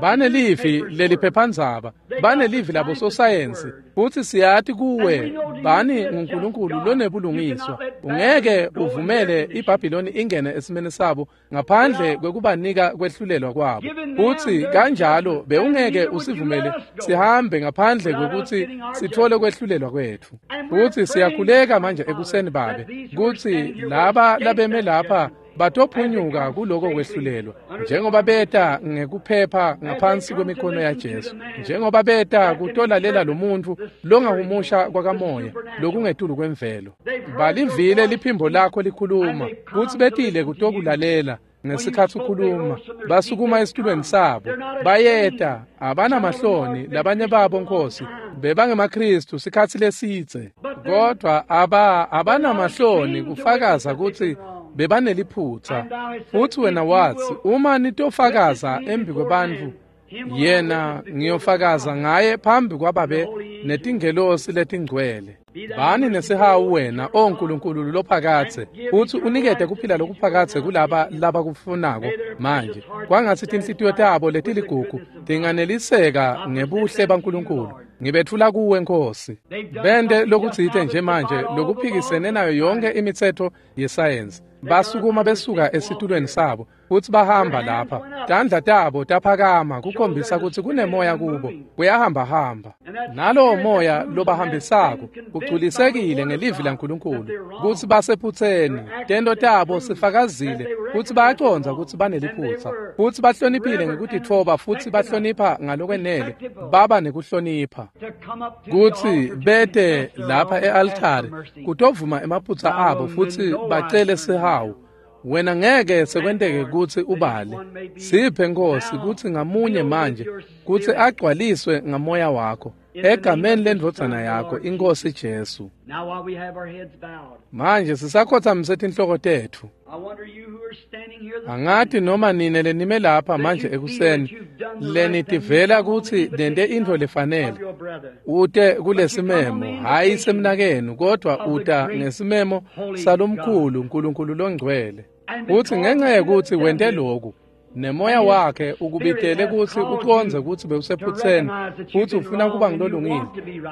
Banelivi leliphephandzaba, banelivi labo sosayensi, futhi siyati kuwe bani nguNkulunkulu lonebulungiswa. Ungeke uvumele iBhabhiloni ingene esimeni sabo ngaphandle kwekubanika kwehlulelwa kwabo. Futhi kanjalo bewungeke usivumele sihambe ngaphandle kwekuthi sithole kwehlulelwa kwethu. Futhi siyakhuleka manje ekuseni babe kutsi laba labeme lapha batophunyuka kuloko kwehlulelwa njengoba beta ngekuphepha ngaphansi kwemikhono yaJesu, njengoba beta kutolalela lo muntu longahumusha kwakamoya lokungetulu kwemvelo. Balivile liphimbo lakho likhuluma kutsi betile kutokulalela ngesikhathi ukhuluma. Basukuma esitulweni sabo bayeta, abanamahloni labanye babo Nkosi bebangemaKristu sikhathi lesidze, kodwa abanamahloni kufakaza kutsi bebaneliphutha. Futhi wena wathi uma nitofakaza embi kwebantfu, yena ngiyofakaza ngaye phambi kwababe netingelosi letingcwele. Bani nesihawu wena, o Nkulunkulu lophakadze, uthi unikete kuphila lokuphakadze kulaba labakufunako manje. Kwangatsi tinhlitiyo tabo letiligugu tinganeliseka ngebuhle baNkulunkulu. Ngibethula kuwe Nkosi. Bente lokutsite nje manje lokuphikisene nayo yonke imitsetfo yesayensi. Basukuma besuka esitulweni sabo futhi bahamba lapha. Tandla tabo taphakama kukhombisa ukuthi kunemoya kubo, kuyahamba-hamba. Nalowo moya lobahambisako ugculisekile ngelivi laNkulunkulu kutsi basephutseni. Tento tabo sifakazile kutsi bayacondza kutsi baneliphutsa, futsi bahloniphile ngekutitfoba, futhi bahlonipha ngalokwenele, baba nekuhlonipha kutsi bete lapha e-altari kutovuma emaphutsa abo futhi bacele sihawu. Wena ngeke sekwenteke kutsi ubale. Siphe Nkosi kutsi ngamunye manje kutsi agcwaliswe ngamoya wakho egameni lendvodzana yakho iNkosi Jesu. Manje sisakhothamise tinhloko tetfu. Angati noma nine lenime lapha manje ekuseni lenitivela kutsi nente intfo lefanele. Ute kulesimemo, hayi semnakenu, kodwa uta ngesimemo salomkhulu Nkulunkulu longcwele. Uthi ngenxa yekuthi wente lokhu, nemoya wakhe ukubitele kutsi ucondze kutsi bewusephutseni, futhi ufuna kuba ngilolungile,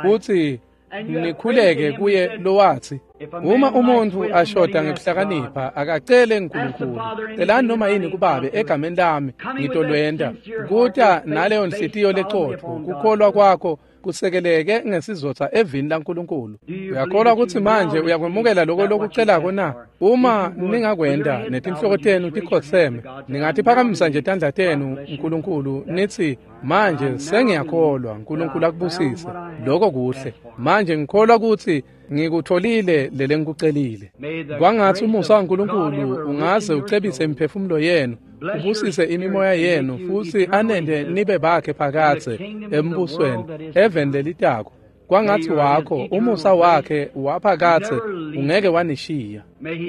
futhi nikhuleke kuye lowathi uma umuntfu ashoda ngekuhlakanipha akacele uNkulunkulu, celani noma yini kubabe egameni lami ngitolwenta. Kuta naleyo nhliziyo lecotfo kukholwa kwakho kusekeleke ngesizotha evini laNkulunkulu. Uyakholwa kutsi manje uyakwemukela loko lokucelako na? Uma ningakwenta netinhloko tenu tikhotseme, ningatiphakamisa nje tandla tenu Nkulunkulu nithi, manje sengiyakholwa, Nkulunkulu akubusise. Lokho kuhle. Manje ngikholwa kutsi ngikutholile lelengikucelile. Kwangatsi umusa waNkulunkulu ungaze ucebise imiphefumulo yenu, ubusise imimoya yenu, futsi anente nibe bakhe phakadze embusweni eveni lelitako. Kwangatsi wakho umusa wakhe waphakadze ungeke wanishiya.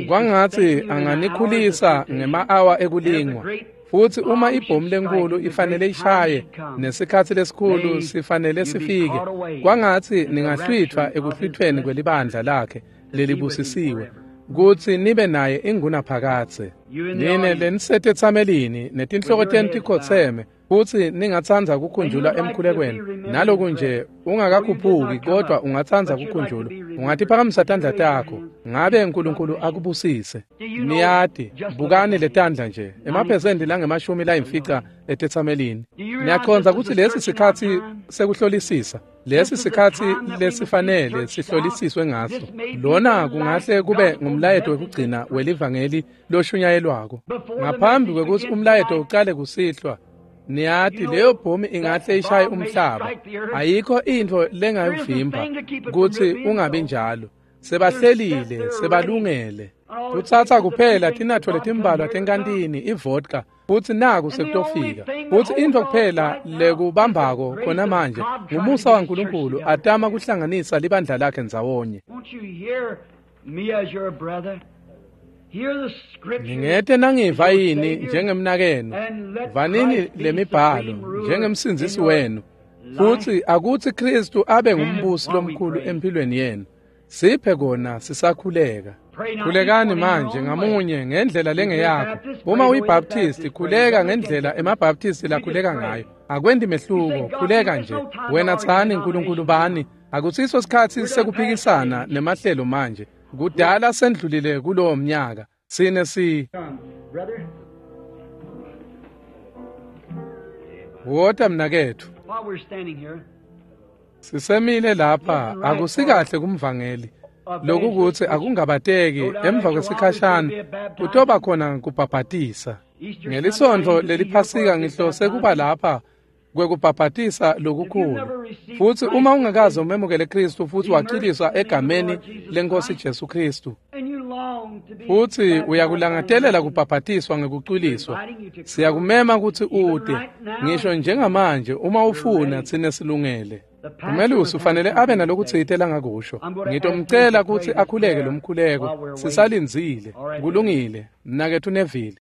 Kwangatsi anganikhulisa ngema-awa ekulingwa. Futsi uma ibhomu lenkulu ifanele ishaye nesikhatsi lesikhulu sifanele sifike, kwangatsi ningahlwithwa ekuhlwithweni kwelibandla lakhe lelibusisiwe, kutsi nibe naye ingunaphakadze. Nine lenisetetsamelini netinhloko tenu tikhotseme, futsi ningatsandza kukhunjulwa emkhulekweni, naloku nje ungakakhuphuki kodwa ungatsandza kukhunjulwa, ungatiphakamisa tandla takho. Ngabe Nkulunkulu akubusise. Niyati, bukani letandla nje, emaphesenti lange-50 etetsamelini. Niyacondza kutsi lesi sikhatsi sekuhlolisisa, lesi sikhatsi lesifanele sihlolisiswe ngaso. Lona kungahle kube ngumlayeto wekugcina welivangeli loshunyayelwako. Ngaphambi kwekutsi umlayeto ucale kusihlwa, niyati leyo bhomu ingahle ishaye umhlaba. Ayikho intfo lengayivimba kutsi ungabi njalo. Sebahlelile, sebalungele. Kutsatsa kuphela tinatfo letimbalwa tenkantini, ivodka, futsi naku sekutofika. Futsi intfo kuphela lekubambako khona manje ngumusa waNkulunkulu atama kuhlanganisa libandla lakhe ndzawonye. Ningete nangiva yini njengemnakenu, vanini lemibhalo njengemsindzisi wenu, futsi akutsi Kristu abe ngumbusi lomkhulu empilweni yenu. Siphe kona sisakhuleka. Khulekani manje ngamunye ngendlela lengeyakho. Uma uyiBaptist, khuleka ngendlela emaBaptist lakhuleka ngayo. Akwendi mehluko, khuleka nje. Wena tsani Nkulunkulu bani. Akusiso sikhatsi sekuphikisana nemahlelo manje. Kudala sendlulile kulowo mnyaka. Sine si Wota mnaketfu. Sisemile lapha, akusikahle kumvangeli. Lokhu kutsi akungabateki emva kwesikhashana kutoba khona kubhabhatisa. Ngelisontfo leliphasika ngihlose kuba lapha kwekubhabhatisa lokukhulu. Futsi uma ungakaze umemukele Kristu futsi waciliswa egameni leNkosi Jesu Kristu, futsi uyakulangatelela kubhabhatiswa ngekucwiliswa, siyakumema kutsi ute ngisho njengamanje. Uma ufuna, tsine silungele. Umelusi ufanele abe nalokutsite langakusho. Ngitomcela kutsi akhuleke lomkhuleko sisalindzile. Kulungile, mnaketfu Neville.